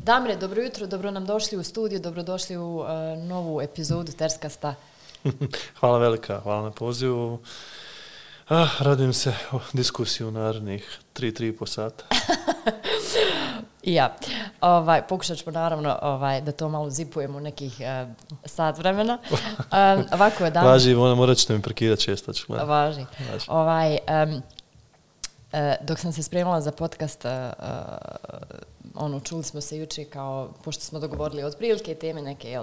Damire, dobro jutro, dobro nam došli u studiju, dobrodošli u novu epizodu Terskasta. Hvala velika, hvala na pozivu. Radujem se o diskusiju u narednih 3,5 sata. I ja. Pokušat ćemo naravno da to malo zipujemo nekih sat vremena. Ovako je Damire. Važi, morat ćete mi prekidati često. Važi. Dok sam se spremala za podcast, čuli smo se juče kao, pošto smo dogovorili otprilike teme neke,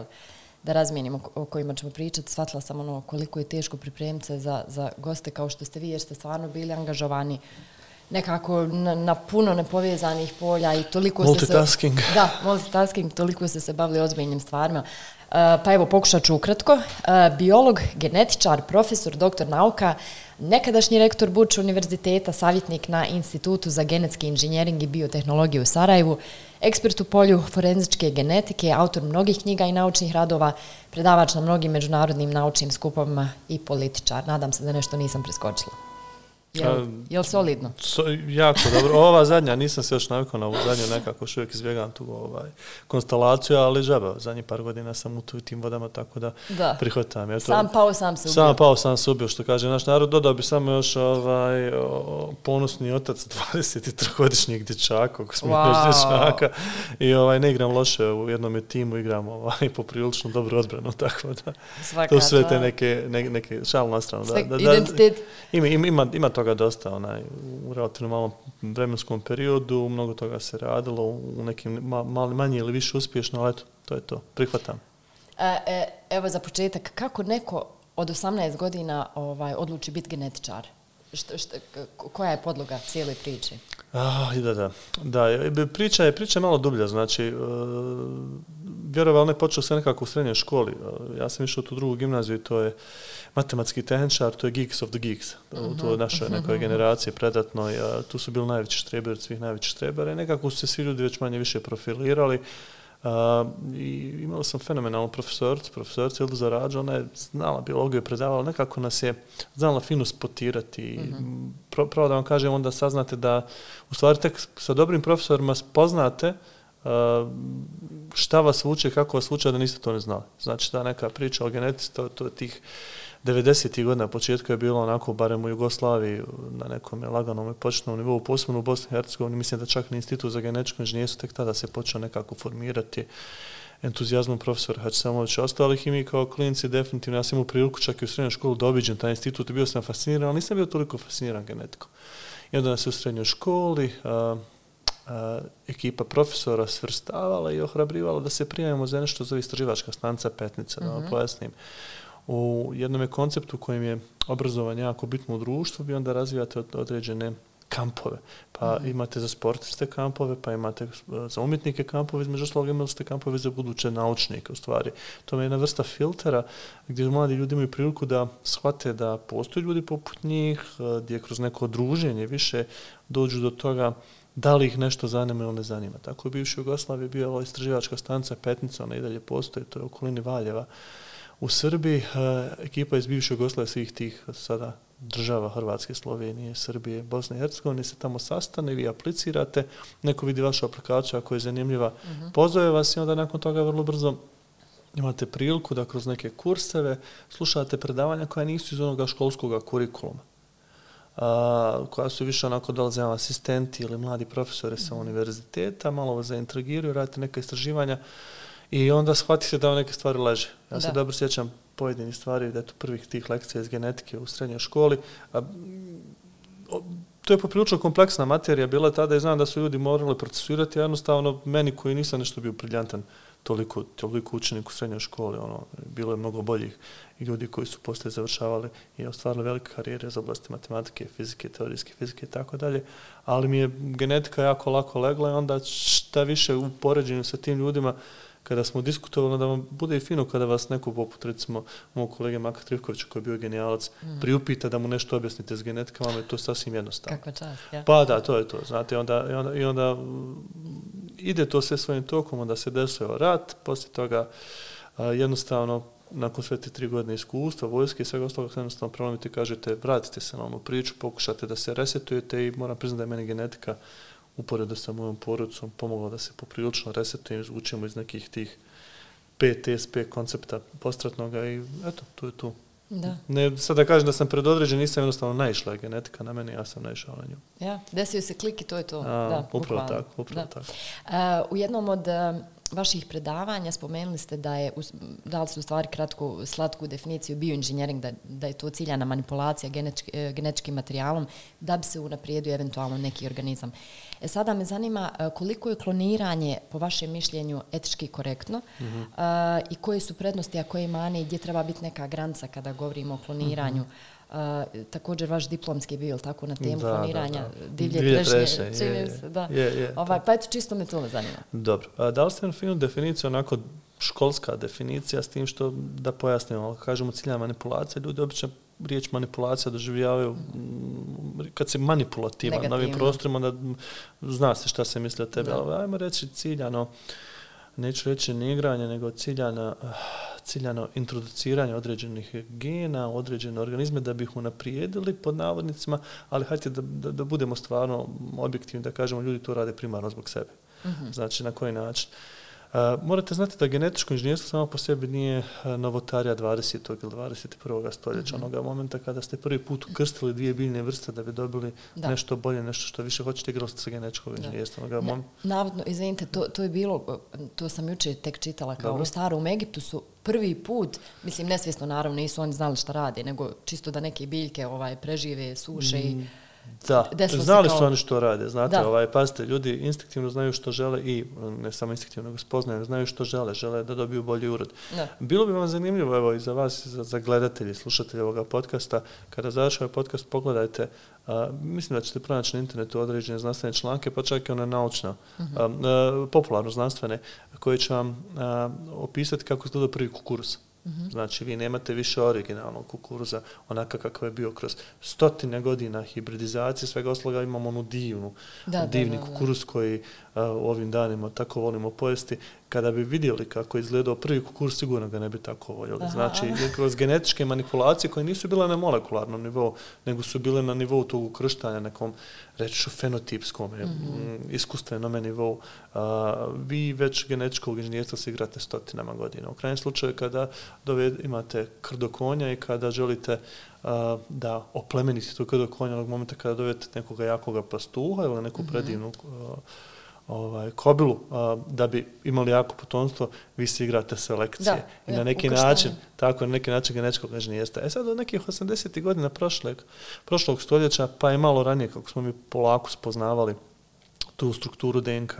da razmijenimo o kojima ćemo pričati, shvatila sam koliko je teško pripremiti se za goste kao što ste vi, jer ste stvarno bili angažovani nekako na puno nepovezanih polja i toliko multitasking. Multitasking, toliko ste se bavili ozbiljnim stvarima. Pa evo, pokušat ću ukratko. Biolog, genetičar, profesor, doktor nauka, nekadašnji rektor Buč univerziteta, savjetnik na Institutu za genetski inženjering i biotehnologiju u Sarajevu, ekspert u polju forenzičke genetike, autor mnogih knjiga i naučnih radova, predavač na mnogim međunarodnim naučnim skupovima i političar. Nadam se da nešto nisam preskočila. Je li solidno? Jako dobro. Ova zadnja, nisam se još navikao na ovu zadnju, nekako još uvijek izbjegam tu konstelaciju, ali žaba, zadnjih par godina sam u tim vodama, tako da prihvatam. Sam pao, sam se ubio. Sam pao, sam se ubio, što kaže naš narod. Dodao bi samo još ponosni otac 23-godišnjeg dječaka, kako smo još dječaka. I ne igram loše, u jednom timu igram poprilično dobru odbranu, tako da. Svaka, to sve te neke šalu na stranu. Identitet. Ima toga dosta u relativno malom vremenskom periodu, mnogo toga se radilo u nekim manje ili više uspješno, ali eto, to je to. Prihvatam. Evo za početak, kako neko od 18 godina odluči biti genetičar? Koja je podloga cijele priče? Priča je malo dublja, znači vjerovalo ne počeo se nekako u srednjoj školi. Ja sam išao u tu drugu gimnaziju i to je matematski tehničar, to je geeks of the geeks. U toj našoj nekoj generaciji predatnoj. Tu su bili najveći štreberi od svih najvećih štrebera i nekako su se svi ljudi već manje više profilirali. I imao sam fenomenalnu profesoricu Ildu Rađu, ona je znala biologiju, predavala, nekako nas je znala fino spotirati. Pravo da vam kažem, onda saznate da u stvari tek sa dobrim profesorima spoznate šta vas vuče, kako vas vuče, da niste to ne znali. Znači, ta neka priča o genetici, to je tih 90. godina, početku je bilo onako, barem u Jugoslaviji, na nekom laganom i početnom nivou, posebno u Bosni i Hercegovini, mislim da čak ni Institut za genetičko inženjerstvo tek tada se počeo nekako formirati entuzijazmom profesora Hadžisamovića. Ostalih i mi kao klinci definitivno, ja sam imao priliku čak i u srednjoj školu da obiđem taj institut i bio sam fasciniran, ali nisam bio toliko fasciniran genetikom. I onda nas u srednjoj školi ekipa profesora svrstavala i ohrabrivala da se prijavimo za nešto zove istraživačka stanica Petnica, da vam pojasnim. U jednom konceptu kojim je obrazovanje jako bitno u društvu, vi onda razvijate određene kampove. Pa imate za sportiste kampove, pa imate za umjetnike kampove, između ostalog imali ste kampove za buduće naučnike, u stvari. To je jedna vrsta filtera gdje mladi ljudi imaju priliku da shvate da postoje ljudi poput njih, gdje kroz neko druženje više dođu do toga da li ih nešto zanima ili ne zanima. Tako je bivši Jugoslaviji bio istraživačka stanica Petnica, ona i dalje postoji, to je u okolini Valjeva. U Srbiji ekipa iz bivše Jugoslavije svih tih sada država Hrvatske, Slovenije, Srbije, Bosne i Hercegovine se tamo sastane, vi aplicirate, neko vidi vašu aplikaciju ako je zanimljiva, pozove vas i onda nakon toga vrlo brzo imate priliku da kroz neke kurseve slušate predavanja koja nisu iz onoga školskog kurikuluma, koja su više onako dolaze asistenti ili mladi profesori sa univerziteta, malo vas zaintrigiraju, radite neka istraživanja i onda shvatite da vam neke stvari leže. Ja se dobro sjećam pojedinih stvari, da je to prvih tih lekcija iz genetike u srednjoj školi. To je poprilično kompleksna materija bila tada i znam da su ljudi morali procesuirati, a jednostavno meni koji nisam nešto bio briljantan toliko učenik u srednjoj školi, bilo je mnogo boljih ljudi koji su poslije završavali i ostvarili velike karijere za oblasti matematike, fizike, teorijske fizike i tako dalje, ali mi je genetika jako lako legla i onda šta više u poređenju sa tim ljudima kada smo diskutovali, da vam bude i fino kada vas neko poput, recimo, mog kolege Maka Trivkovića, koji je bio genijalac, priupita da mu nešto objasnite s genetikama, je to sasvim jednostavno. Kakva čast, ja. Pa da, to je to. Znate, i onda ide to sve svojim tokom, onda se desio rat, poslije toga jednostavno, nakon sve te 3 godine iskustva, vojske i svega ostalog, jednostavno prelomite i kažete, vratite se na onu priču, pokušate da se resetujete i moram priznati da je meni genetika uporedo sa mojom porodicom pomoglo da se poprilično resetujem, izvučemo iz nekih tih PTSP koncepta postratnoga i eto, tu je tu. Da. Ne, sad da kažem da sam predodređen, nisam jednostavno naišla genetika na mene, ja sam naišao na nju. Ja, desio se klik i to je to. Upravo tako. U jednom od vaših predavanja spomenuli ste dali ste u stvari kratku, slatku definiciju bioinženjering, da je to ciljana manipulacija genetičkim materijalom da bi se unaprijedio eventualno neki organizam. Sada me zanima koliko je kloniranje po vašem mišljenju etički korektno i koje su prednosti, a koje mane i gdje treba biti neka granica kada govorimo o kloniranju. Također vaš diplomski je bio tako na temu kloniranja divlje trešnje. Pa eto, čisto me to zanima. Dobro. Dali ste jednu finu definiciju, onako školska definicija, s tim što da pojasnimo, kažemo ciljna manipulacija, ljudi obično riječ manipulacija doživljavaju kad se manipulativan na ovim prostorima, onda zna se šta se misli o tebi, ali ajmo reći ciljano, neću reći ne igranje, nego ciljano introduciranje određenih gena, određene organizme da bi ih unaprijedili pod navodnicima, ali hajde da budemo stvarno objektivni, da kažemo ljudi to rade primarno zbog sebe. Znači na koji način? Morate znati da genetičko inženjerstvo samo po sebi nije novotarija 20. ili 21. stoljeća, onoga momenta kada ste prvi put ukrstili dvije biljne vrste da bi dobili nešto bolje, nešto što više hoćete, igrali ste sa genetičkog inženjerstva. Navodno, izvinite, to je bilo, to sam jučer tek čitala, kao u starom Egiptu su prvi put, mislim nesvjesno naravno, nisu oni znali šta rade, nego čisto da neke biljke prežive, suše i da, znali su oni što rade, znate, pazite, ljudi instinktivno znaju što žele i ne samo instinktivno, nego spoznaju, znaju što žele da dobiju bolji urod. Bilo bi vam zanimljivo, evo i za vas, za gledatelji, slušatelji ovoga podcasta, kada završi ovaj podcast, pogledajte, mislim da ćete pronaći na internetu određene znanstvene članke, pa čak i one naučno, popularno znanstvene, koje će vam opisati kako izgleda prvi kukuruz. Znači, vi nemate više originalnog kukuruza, onaka kakav je bio kroz stotine godina hibridizacije, svega ostaloga imamo onu divni kukuruz koji u ovim danima tako volimo pojesti. Kada bi vidjeli kako je izgledao prvi kukuruz, sigurno ga ne bi tako voljeli. Znači, kroz genetičke manipulacije koje nisu bile na molekularnom nivou, nego su bile na nivou tog ukrštanja, nekom, reći ću, fenotipskom, iskustvenome nivou, vi već genetičkog inženjerstva se igrate stotinama godina. U krajnjem slučaju, kada imate krdo konja i kada želite da oplemenite to krdo konja onog momenta kada dovedete nekoga jakoga pastuha ili neku predivnu kobilu, da bi imali jako potomstvo, vi se igrate selekcije. I na neki način, genetičkog inženjerstva. Sad od nekih 80. godina prošlog stoljeća, pa i malo ranije, kako smo mi polako spoznavali tu strukturu DNK,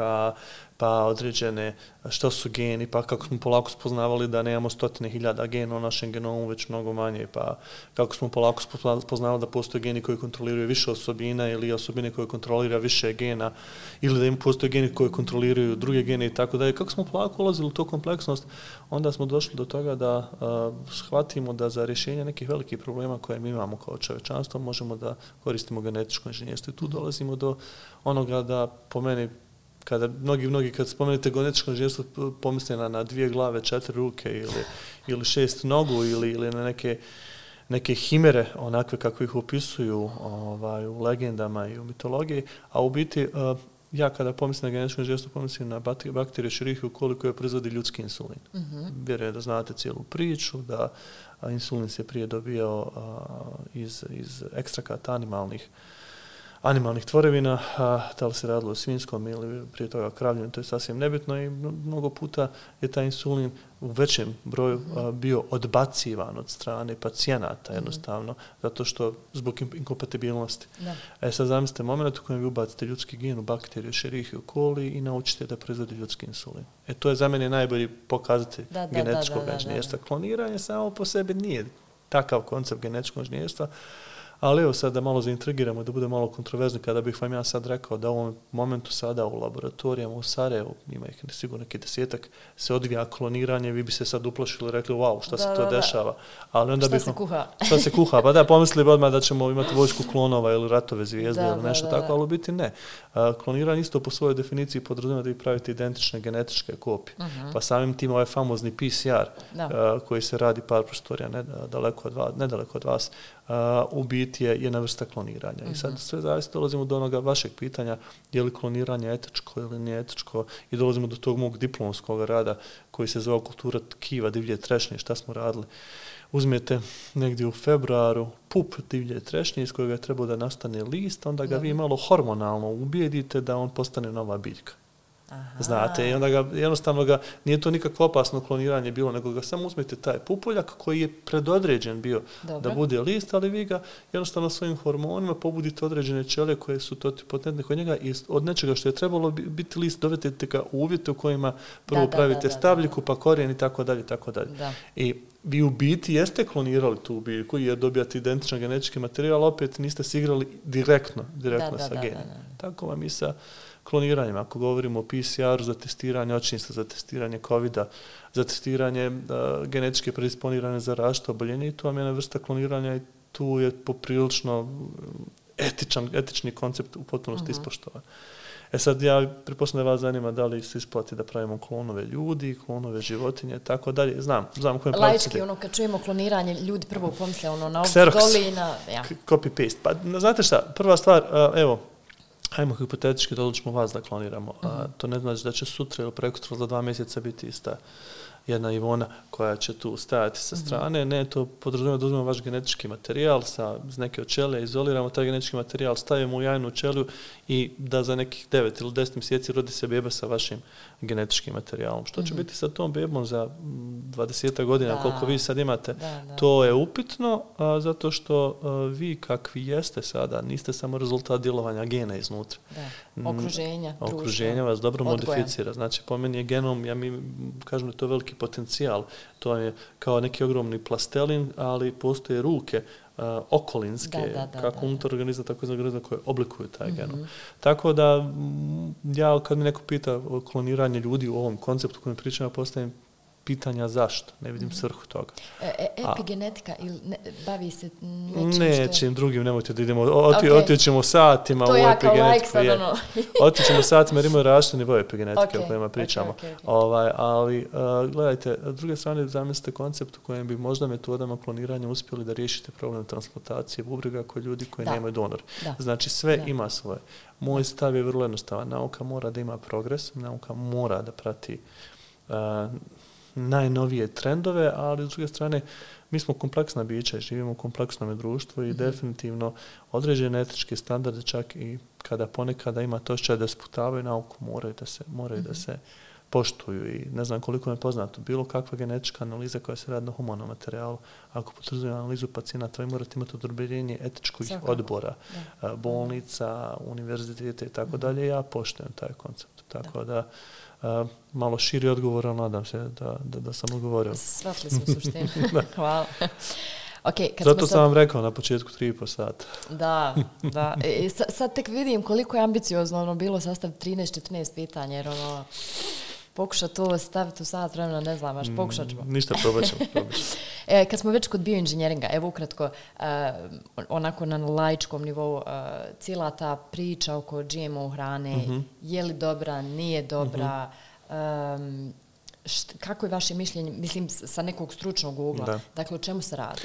pa određene što su geni, pa kako smo polako spoznavali da nemamo stotine hiljada gena u našem genomu, već mnogo manje, pa kako smo polako spoznavali da postoje geni koji kontroliraju više osobina ili osobine koje kontrolira više gena, ili da im postoje geni koji kontroliraju druge gene i tako dalje. Kako smo polako ulazili u tu kompleksnost, onda smo došli do toga da shvatimo da za rješenje nekih velikih problema koje mi imamo kao čovječanstvo možemo da koristimo genetičko inženjerstvo. I tu dolazimo do onoga da, po meni, kada mnogi kad spomenete genetičko inženjerstvo pomisle na 2 glave, 4 ruke ili 6 nogu ili na neke himere, onakve kako ih opisuju u legendama i u mitologiji, a u biti ja kada pomislim na genetičko inženjerstvo pomislim na bakteriju Escherichia coli koja proizvodi ljudski insulin. Vjerujem da znate cijelu priču, da insulin se prije dobijao iz ekstrakata animalnih tvorevina, da li se radilo o svinjskom ili prije toga kravljem, to je sasvim nebitno i mnogo puta je taj insulin u većem broju bio odbacivan od strane pacijenata jednostavno, zato što zbog inkompatibilnosti. Sad zamislite moment u kojem vi ubacite ljudski gen u bakteriju Escherichia coli i naučite da proizvodi ljudski insulin. To je za mene najbolji pokazatelj genetičkog inženjerstva. Kloniranje samo po sebi nije takav koncept genetičkog inženjerstva, ali evo sad da malo zaintrigiramo, da bude malo kontroverzno, kada bih vam ja sad rekao da u ovom momentu sada u laboratorijama u Sarajevu, ima ih sigurno neki 10-ak, se odvija kloniranje, vi bi se sad uplašili i rekli, wow, šta se to dešava. Ali onda šta se kuha? Šta se kuha? Pa da, pomislili odmah da ćemo imati vojsku klonova ili ratove zvijezde ili nešto tako, ali u biti ne. Kloniranje isto po svojoj definiciji podrazumijeva da vi pravite identične genetičke kopije. Pa samim tim ovaj famozni PCR koji se radi par prostorija nedaleko od vas, u biti je jedna vrsta kloniranja. I sad sve zavisi, dolazimo do onoga vašeg pitanja, je li kloniranje etičko ili nije etičko, i dolazimo do tog mog diplomskog rada koji se zvao Kultura tkiva divlje trešnje, šta smo radili. Uzmete negdje u februaru pup divlje trešnje iz kojega je trebao da nastane list, onda ga vi malo hormonalno ubijedite da on postane nova biljka. Aha. Znate, i onda jednostavno nije to nikakvo opasno kloniranje bilo, nego ga samo uzmete taj pupoljak koji je predodređen bio da bude list, ali vi ga jednostavno svojim hormonima pobudite određene ćelije koje su potentne kod njega i od nečega što je trebalo biti list dovedete ga u uvjete u kojima prvo pravite stabljiku, pa korijen i tako dalje, tako dalje. I vi u biti jeste klonirali tu biljku jer dobijate identičan genetički materijal, opet niste se igrali direktno sa genima. Tako vam i sa kloniranjem. Ako govorimo o PCR-u za testiranje očinstva, za testiranje COVID-a, za testiranje genetičke predisponirane za različite oboljenje, i tu vam je jedna vrsta kloniranja i tu je poprilično etični koncept u potpunosti ispoštovan. Sad ja pretpostavljam da vas zanima da li se isplati da pravimo klonove ljudi, klonove životinje i tako dalje. Znam u kojem pravcu ide. Kad čujemo kloniranje, ljudi prvo pomisle na ovdje dolina. Copy-paste. Pa znate šta, prva stvar, evo, hajmo hipotetički da odlučimo vas da kloniramo. To ne znači da će sutra ili prekosutra za 2 mjeseca biti ista jedna Ivona koja će tu stajati sa strane. Ne, to podrazumijeva da uzmemo vaš genetički materijal iz neke od ćelije, izoliramo taj genetički materijal, stavimo u jajnu ćeliju i da za nekih 9 ili 10 mjeseci rodi se beba sa vašim genetičkim materijalom. Što će biti sa tom bebom za 20 godina, koliko vi sad imate, to je upitno, zato što vi kakvi jeste sada, niste samo rezultat djelovanja gena iznutra. Okruženja vas dobro modificira. Znači, po meni je genom, mi kažem da je to veliki potencijal. To je kao neki ogromni plastelin, ali postoje ruke okolinske, kako unutar organizma, tako iz organizma koje oblikuju taj genom. Tako da, ja kad mi neko pita o kloniranju ljudi u ovom konceptu kojem pričam, postavim pitanja zašto. Ne vidim svrhu toga. Epigenetika ili bavi se nečim drugim, nemojte da idemo, otićemo satima u epigenetiku. Otićemo satima jer imaju različite nivoje epigenetike o kojima pričamo. Ali, gledajte, s druge strane zamislite koncept u kojem bi možda metodama kloniranja uspjeli da riješite problem transplantacije bubrega kod ljudi koji nemaju donor. Znači, sve ima svoje. Moj stav je vrlo jednostavan. Nauka mora da ima progres, nauka mora da prati najnovije trendove, ali s druge strane mi smo kompleksna bića i živimo u kompleksnom društvu i definitivno određene etičke standarde, čak i kada ponekada ima to osjećaj da sputavaju nauku, moraju da se poštuju. I ne znam koliko je poznato, bilo kakva genetička analiza koja se radi na humanom materijalu, ako potvrđuje analizu pacijenata, vi morate imati odobrenje etičkih odbora, bolnica, univerzitete i tako dalje. Ja poštujem taj koncept. Tako da malo širi odgovor, ali nadam se da sam odgovorio. Shvatili smo suštinu. Hvala. Zato sam vam rekao na početku 3,5 sata. Da. Sad tek vidim koliko je ambiciozno bilo sastaviti 13-14 pitanja, jer pokušati to staviti u sat vremena, ne znam, baš pokušat ćemo. Ništa, probat ćemo. Kad smo već kod bioinženjeringa, evo ukratko, onako na laičkom nivou, cijela ta priča oko GMO hrane, je li dobra, nije dobra, kako je vaše mišljenje, mislim, sa nekog stručnog ugla, dakle, o čemu se radi?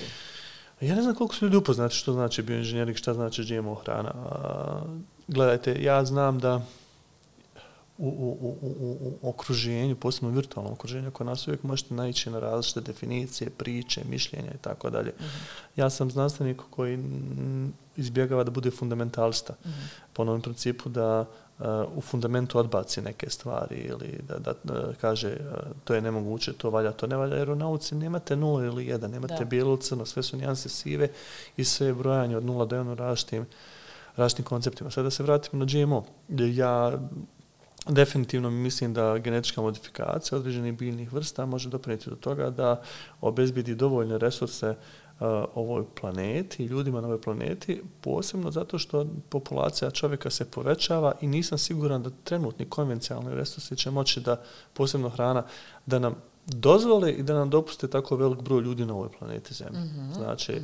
Ja ne znam koliko su ljudi upoznati što znači bioinženjering, šta znači GMO hrana. Gledajte, ja znam da u okruženju, posebno virtualnom okruženju, kod nas uvijek možete naići na različite definicije, priče, mišljenja i tako dalje. Ja sam znanstvenik koji izbjegava da bude fundamentalista. Po onom principu da u fundamentu odbaci neke stvari ili da kaže to je nemoguće, to valja, to ne valja, jer u nauci nemate 0 ili 1, nemate bijelo, crno, sve su nijanse sive i sve je brojanje od 0 do 1 različitim konceptima. Sada da se vratimo na GMO. Ja definitivno mislim da genetička modifikacija određenih biljnih vrsta može doprinijeti do toga da obezbedi dovoljne resurse ovoj planeti i ljudima na ovoj planeti, posebno zato što populacija čovjeka se povećava i nisam siguran da trenutni konvencionalni resursi će moći da, posebno hrana, da nam dozvole i da nam dopuste tako velik broj ljudi na ovoj planeti Zemlji. Znači,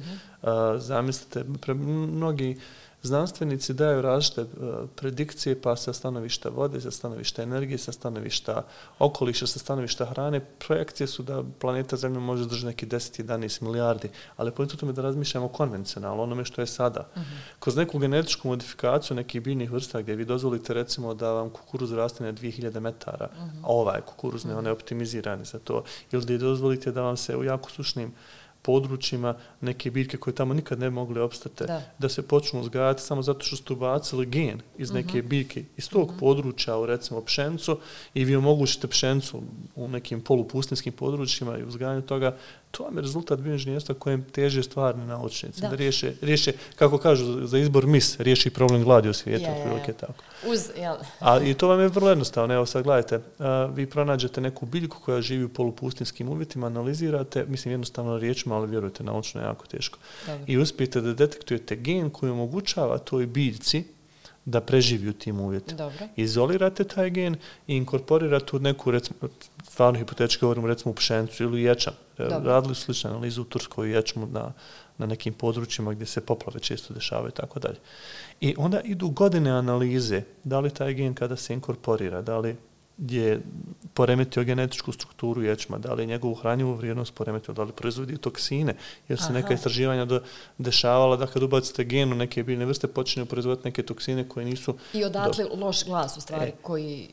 zamislite, mnogi Znanstvenici daju različite predikcije, pa sa stanovišta vode, sa stanovišta energije, sa stanovišta okoliša, sa stanovišta hrane. Projekcije su da planeta Zemlja može držati neki 10-11 milijardi, ali po tome da razmišljamo konvencionalno, onome što je sada. Kroz neku genetičku modifikaciju nekih biljnih vrsta gdje vi dozvolite recimo da vam kukuruz raste na 2000 metara, a ovaj kukuruz ne, on je optimizirani za to, ili da dozvolite da vam se u jako sušnim područjima neke biljke koje tamo nikad ne mogli opstati, da se počnu uzgajati samo zato što ste ubacili gen iz neke biljke iz tog područja u recimo pšenicu i vi omogućite pšenicu u nekim polupustinskim područjima i uzgajanju toga. To vam je rezultat bioinženjerstva kojem teže stvarni naučnici. Da riješe, kako kažu, za izbor mis, riješi problem gladi u svijetu. Tako. I to vam je vrlo jednostavno. Evo sad gledajte, vi pronađete neku biljku koja živi u polupustinskim uvjetima, analizirate, mislim jednostavno riječima, ali vjerujte, naučno je jako teško. I uspijete da detektujete gen koji omogućava toj biljci da preživi u tim uvjetima. Izolirate taj gen i inkorporirate u neku, recimo, stvarno hipotetički govorimo, recimo u pšenicu ili ječam. Radili su sličnu analizu u Turskoj ječmu na nekim područjima gdje se poplave često dešavaju i tako dalje. I onda idu godine analize da li taj gen kada se inkorporira, da li je poremetio genetičku strukturu ječma, da li je njegovu hranjivu vrijednost poremetio, da li proizvodi toksine, jer se neka istraživanja dešavala da kad ubacite gen u neke biljne vrste počinju proizvoditi neke toksine koje nisu... I odatle loš glas u stvari koji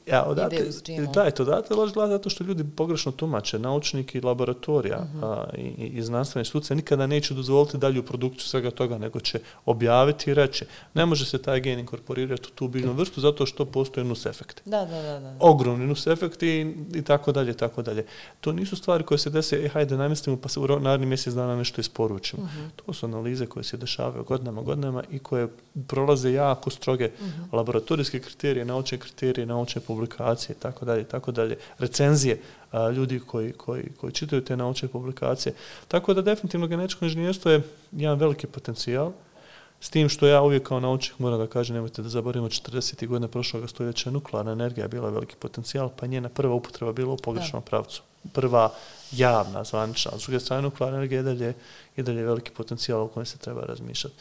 ide uz GMO. Da, odatle loš glas zato što ljudi pogrešno tumače, naučniki laboratorija i znanstvene institucije nikada neće dozvoliti dalju produkciju svega toga, nego će objaviti i reći ne može se taj gen inkorporirati u tu biljnu vrstu zato što postoje nus efekti. Ogromni nus efekti i tako dalje, tako dalje. To nisu stvari koje se dese, hajde namestimo pa se u narednih mjesec dana nešto isporučimo. To su analize koje se dešavaju godinama i koje prolaze jako stroge laboratorijske kriterije, naučne publikacije, tako dalje, recenzije ljudi koji čitaju te naučne publikacije. Tako da definitivno genetičko inženjerstvo je jedan veliki potencijal. S tim što ja uvijek kao naučnik moram da kažem, nemojte da zaboravimo 40. godine prošlog stoljeća nuklearna energija bila veliki potencijal, pa njena prva upotreba bila u pogrešnom pravcu. Prva javna, zvanična. S druge strane, nuklearna energija i dalje veliki potencijal o kojem se treba razmišljati.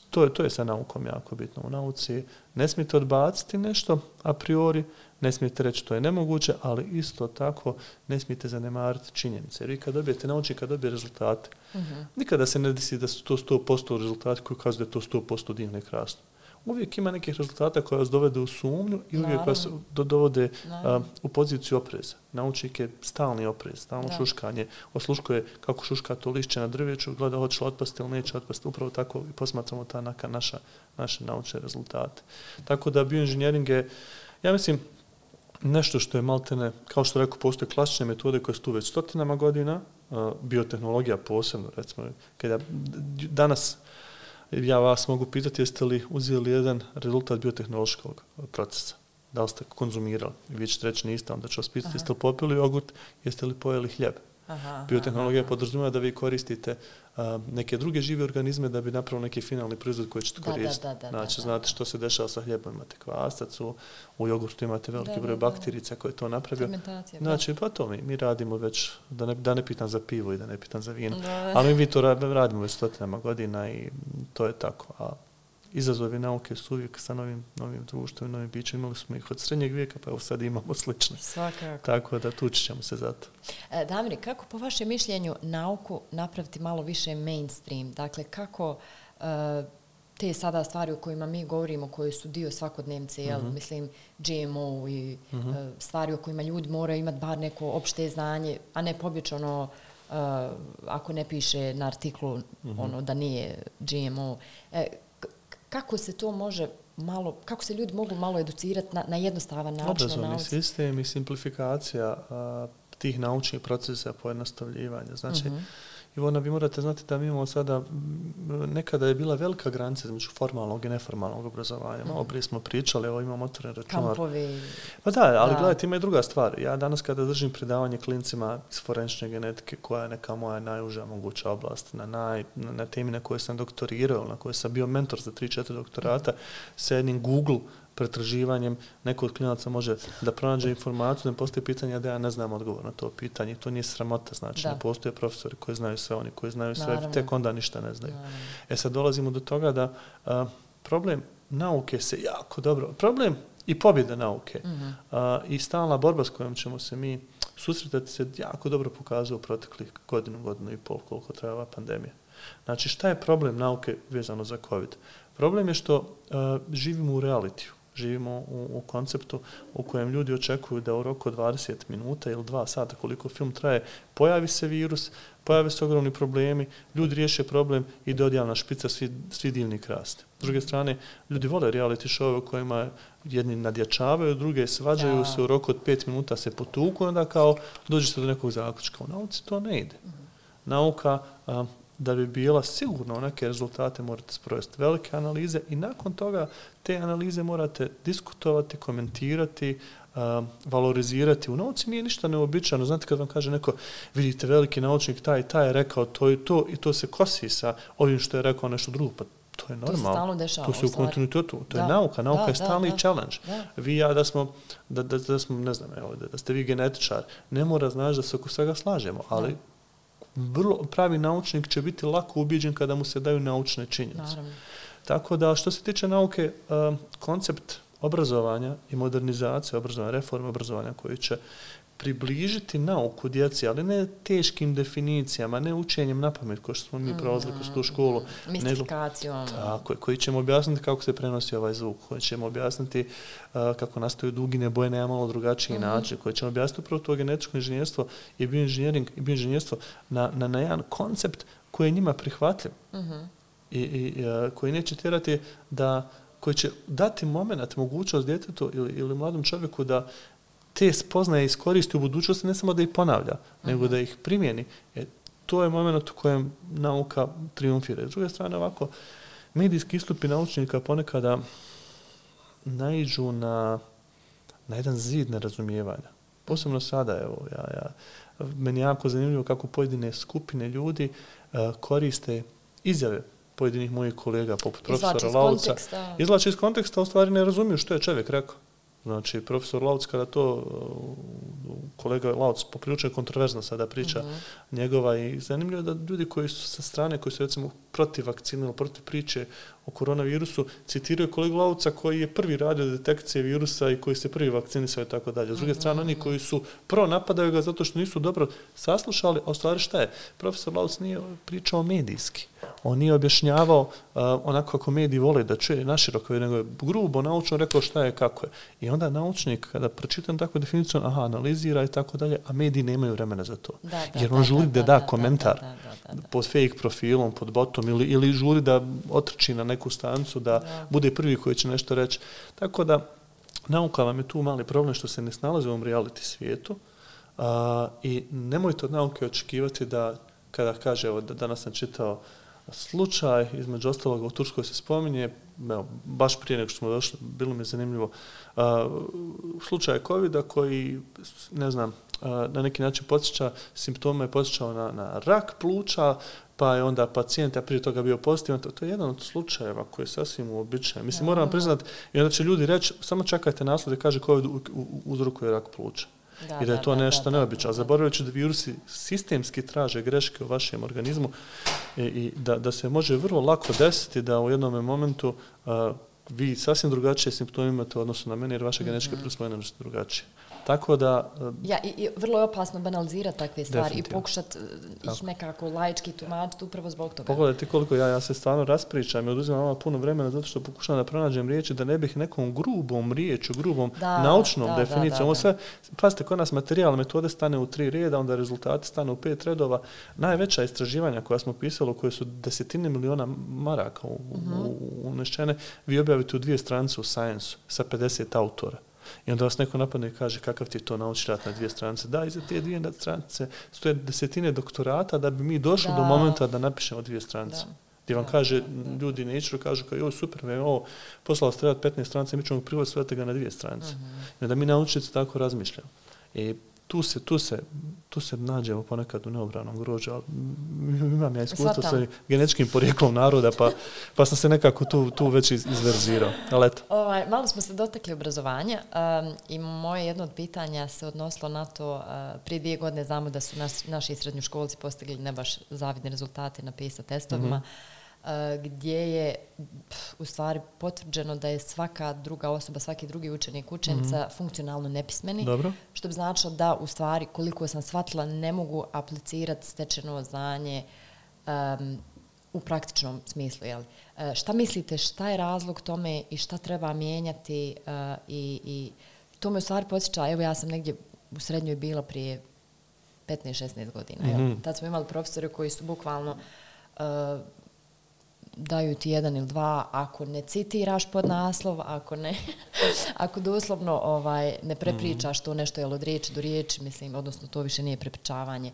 To je sa naukom jako bitno. U nauci ne smijete odbaciti nešto a priori, ne smijete reći to je nemoguće, ali isto tako ne smijete zanemariti činjenice. Jer vi kad dobijete naučnik, kad dobije rezultate, nikada se ne desi da su to 100% rezultati koji kazuju da je to 100% divno i krasno. Uvijek ima nekih rezultata koje vas dovede u sumnju i uvijek vas dovode u poziciju opreza. Naučnik je stalni oprez, stalno šuškanje. Osluškuje kako šuška to lišće na drveću, gleda hoće li otpasti ili neće otpasti. Upravo tako i posmatramo naše naučne rezultate. Tako da bioinženjering je, ja mislim, nešto što je maltene, kao što rekao, postoje klasične metode koje su tu već stotinama godina, biotehnologija posebno, recimo, kada danas ja vas mogu pitati jeste li uzeli jedan rezultat biotehnološkog procesa, da li ste konzumirali, vi ćete reći niste, onda ću vas pitati jeste li popili jogurt, jeste li pojeli hljeb. Biotehnologija podrazumijeva da vi koristite neke druge žive organizme da bi napravili neki finalni proizvod koji ćete koristiti. Znači, znate što se dešava sa hljebom, imate kvasac, u jogurtu imate veliki broj bakterica koje to napravio. Znači, pa to mi radimo već, da ne pitam za pivo i da ne pitam za vino, ali mi to radimo već stotinama godina i to je tako. A izazovi nauke su uvijek sa novim društvom, novim bićem. Imali smo ih od srednjeg vijeka, pa evo sad imamo slične. Svakako. Tako da tući ćemo se za to. Damir, kako po vašem mišljenju nauku napraviti malo više mainstream? Dakle, kako te sada stvari o kojima mi govorimo, koje su dio svakodnevnice, mislim GMO i stvari o kojima ljudi moraju imati bar neko opšte znanje, a ne pobječano ako ne piše na artiklu da nije GMO. Kako se to može malo, kako se ljudi mogu malo educirati na jednostavan način? Obrazovni sistem i simplifikacija tih naučnih procesa, pojednostavljivanja. Znači, Ivona, vi morate znati da mi imamo sada, nekada je bila velika granica između formalnog i neformalnog obrazovanja. Malo prije smo pričali, evo imamo otvoren računar. Kampovi. Pa da, ali gledajte, ima i druga stvar. Ja danas kada držim predavanje klincima iz forenzične genetike, koja je neka moja najuža moguća oblast, na temi na kojoj sam doktorirao, na kojoj sam bio mentor za 3-4 doktorata, sa jednim Google pretraživanjem, neko od klinaca može da pronađe informaciju, da postoji pitanje da ja ne znam odgovor na to pitanje. To nije sramota, znači ne postoje profesori koji znaju sve, oni koji znaju sve, tek onda ništa ne znaju. Sad dolazimo do toga da problem nauke se jako dobro, problem i pobjeda nauke i stalna borba s kojom ćemo se mi susretati se jako dobro pokazuje u proteklih godinu i pol koliko traje ova pandemija. Znači, šta je problem nauke vezano za COVID? Problem je što živimo u realitiju. Živimo u konceptu u kojem ljudi očekuju da u roku od 20 minuta ili 2 sata koliko film traje, pojavi se virus, pojave se ogromni problemi, ljudi riješe problem i do odjavna špica svi divni krasti. S druge strane, ljudi vole reality show u kojima jedni nadjačavaju, druge svađaju se u roku od 5 minuta se potuku i onda kao dođete do nekog zaključka. U nauci to ne ide. Nauka da bi bila sigurna u neke rezultate morate sprovesti velike analize i nakon toga te analize morate diskutovati, komentirati, valorizirati. U nauci nije ništa neobičajno. Znate kad vam kaže neko, vidite veliki naučnik taj je rekao to i to i to se kosi sa ovim što je rekao nešto drugo. Pa to je normalno. To se stalno dešava. To se u kontinuitetu. To je nauka. Nauka je stalni challenge. Vi ja da smo, ne znam, evo, da ste vi genetičar, ne mora znači da se oko svega slažemo, ali vrlo pravi naučnik će biti lako ubijeđen kada mu se daju naučne činjenice. Naravno. Tako da što se tiče nauke, koncept obrazovanja i modernizacije obrazovanja, reforme obrazovanja koji će približiti nauku djeci, ali ne teškim definicijama, ne učenjem na pamet kao što smo mi prolazili kroz tu školu. Mistifikacijom. Tako je, koji ćemo objasniti kako se prenosi ovaj zvuk, koji ćemo objasniti kako nastaju dugine boje na malo drugačiji način, koji ćemo objasniti upravo to genetičko inženjerstvo i bioinženjerstvo na jedan koncept koji je njima prihvatljiv i koji neće tjerati koji će dati moment, mogućnost djetetu ili mladom čovjeku da te spoznaje iskoristi u budućnosti, ne samo da ih ponavlja, nego da ih primjeni. To je moment u kojem nauka triumfira. S druge strane, ovako, medijski istupi naučnika ponekada naiđu na jedan zid nerazumijevanja. Posebno sada, evo, meni je jako zanimljivo kako pojedine skupine ljudi koriste izjave pojedinih mojih kolega, poput profesora Lauca. Izvlače iz konteksta, u stvari ne razumiju što je čovjek rekao. Znači, profesor Lauc, kada to kolega Lauc poprilično je kontroverzno sada priča njegova i zanimljivo je da ljudi koji su sa strane, koji su recimo protiv vakcine ili protiv priče o koronavirusu, citiraju kolegu Lauca koji je prvi radio detekcije virusa i koji se prvi vakcinisao i tako dalje. S druge strane, oni koji su napadaju ga zato što nisu dobro saslušali, a u stvari šta je? Profesor Lauc nije pričao medijski. On nije objašnjavao onako kako mediji vole da čuje naširoko, nego je grubo naučno rekao šta je, kako je. I onda naučnik, kada pročitam takvu definiciju, analizira i tako dalje, a mediji nemaju vremena za to. Jer on žuri da komentar pod fake profilom, pod botom ili žuri da otrči na neku stancu, da bude prvi koji će nešto reći. Tako da, nauka vam je tu mali problem što se ne snalazi u ovom reality svijetu i nemojte od nauke očekivati da, kada kaže, evo, danas sam čitao slučaj, između ostalog u Turskoj se spominje, baš prije nego što smo došli, bilo mi je zanimljivo, slučaj COVID-a koji, ne znam, na neki način simptome je podsjećao na rak pluća, pa je onda pacijent, a prije toga bio pozitivan. To je jedan od slučajeva koji je sasvim uobičajen. Mislim, moram priznati, i onda će ljudi reći, samo čekajte naslov da kaže COVID uzrokuje rak pluća. I da je to nešto neobično. Zaboravljajući da virusi sistemski traže greške u vašem organizmu i da se može vrlo lako desiti da u jednom momentu vi sasvim drugačije simptome imate u odnosu na mene jer vaše genetičke predispozicije su drugačije. Tako da... I vrlo je opasno banalizirati takve stvari i pokušati ih nekako laički tumačiti upravo zbog toga. Pogledajte koliko ja se stvarno raspričam i oduzimam malo puno vremena zato što pokušavam da pronađem riječi da ne bih nekom grubom riječu, naučnom definicijom. Ovo sve, pazite, kod nas materijal metode stane u 3 reda, onda rezultati stane u 5 redova. Najveća istraživanja koja smo pisali, koje su 10 miliona maraka unešćene, vi objavite u 2 stranice u Science sa 50 autora. I onda vas neko napadne i kaže kakav ti je to naučni rad na 2 stranice. Da, iza te 2 stranice stoje 10 doktorata da bi mi došli do momenta da napišemo 2 stranice. Gdje vam kaže, ljudi neću, kažu kao, joj, super, me je ovo poslalo ste 15 stranica, mi ćemo prvo sveti ga na 2 stranice. I onda mi naučnici tako razmišljamo. I tu se nađemo ponekad u neobranom grožđu, ali imam ja iskustvo sa genetičkim porijeklom naroda, pa sam se nekako tu već izverzirao. Ali eto. Malo smo se dotakli obrazovanja i moje jedno od pitanja se odnosilo na to, prije 2 godine znamo da su naši srednjoškolci postigli ne baš zavidne rezultate na PISA testovima. gdje je u stvari potvrđeno da je svaka druga osoba, svaki drugi učenik, učenica funkcionalno nepismeni. Dobro. Što bi značilo da u stvari, koliko sam shvatila, ne mogu aplicirati stečeno znanje u praktičnom smislu. Jel? Šta mislite, šta je razlog tome i šta treba mijenjati? I to me u stvari podsjeća, evo ja sam negdje u srednjoj bila prije 15-16 godina. Jel? Tad smo imali profesore koji su bukvalno daju ti 1 ili 2 ako ne citiraš pod naslov, ako doslovno ne prepričaš to nešto jel od riječi do riječi, mislim, odnosno to više nije prepričavanje.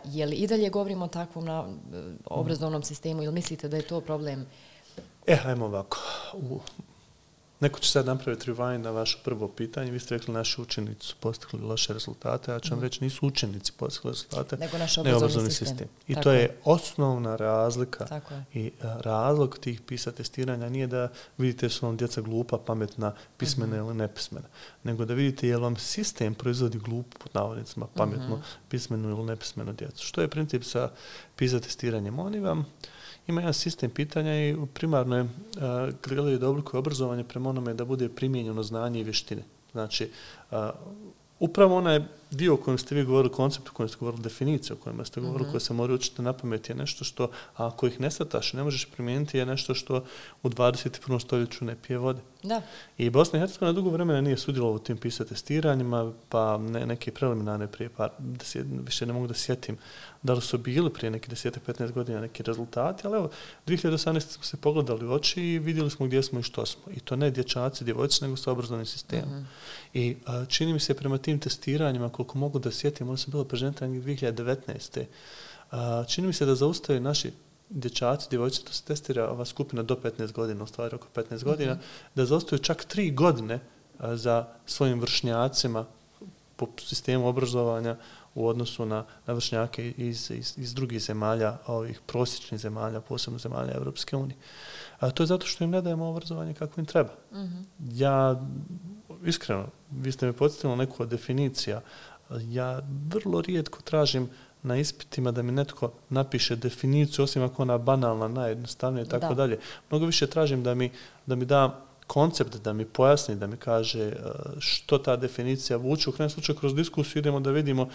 Je li i dalje govorimo o takvom obrazovnom sistemu ili mislite da je to problem? Ajmo ovako. Neko će sad napraviti rewind na vaše prvo pitanje. Vi ste rekli naši učenici su postigli loše rezultate, ja ću vam reći nisu učenici postigli rezultate, nego naš obrazovni sistem. I to je osnovna razlika i razlog tih PISA testiranja nije da vidite su vam djeca glupa, pametna, pismena ili nepismena, nego da vidite je li vam sistem proizvodi glupu, pod navodnicima, pametnu, pismenu ili nepismenu djecu. Što je princip sa PISA testiranjem? Oni vam ima jedan sistem pitanja i primarno je gledaju da oblikuje obrazovanje prema onome da bude primijenjeno znanje i vještine. Znači, upravo onaj dio o kojem ste vi govorili, koncept o kojem ste govorili, definicija o kojima ste govorili, koje se moraju učiti na pamet je nešto što, ako ih ne sataš, ne možeš primijeniti, je nešto što u 21. stoljeću ne pije vode. Da. I Bosna i Hercegovina dugo vremena nije sudjelovala u tim PISA testiranjima, pa neke preliminarne prije više ne mogu da sjetim da li su bili prije neki 10-15 godina neki rezultati, ali evo, 2018. smo se pogledali u oči i vidjeli smo gdje smo i što smo. I to ne dječaci, djevojčice, nego sa obrazovnim sistemom. I čini mi se prema tim testiranjima, koliko mogu da sjetim, ono sam bilo prezentiranje 2019. Čini mi se da zaustavaju naši dječaci, djevojčice, to se testira ova skupina do 15 godina, u stvari oko 15 godina, da zaostaju čak 3 godine za svojim vršnjacima po sistemu obrazovanja u odnosu na vršnjake iz drugih zemalja, ovih prosječnih zemalja, posebno zemalja Evropske unije. To je zato što im ne dajemo obrazovanje kako im treba. Ja, iskreno, vi ste me podsjetili na neku od definicija, ja vrlo rijetko tražim na ispitima da mi netko napiše definiciju, osim ako ona banalna, najjednostavnija i tako dalje. Mnogo više tražim da mi da koncept, da mi pojasni, da mi kaže što ta definicija vuče. U krajnjem slučaju kroz diskusiju idemo da vidimo...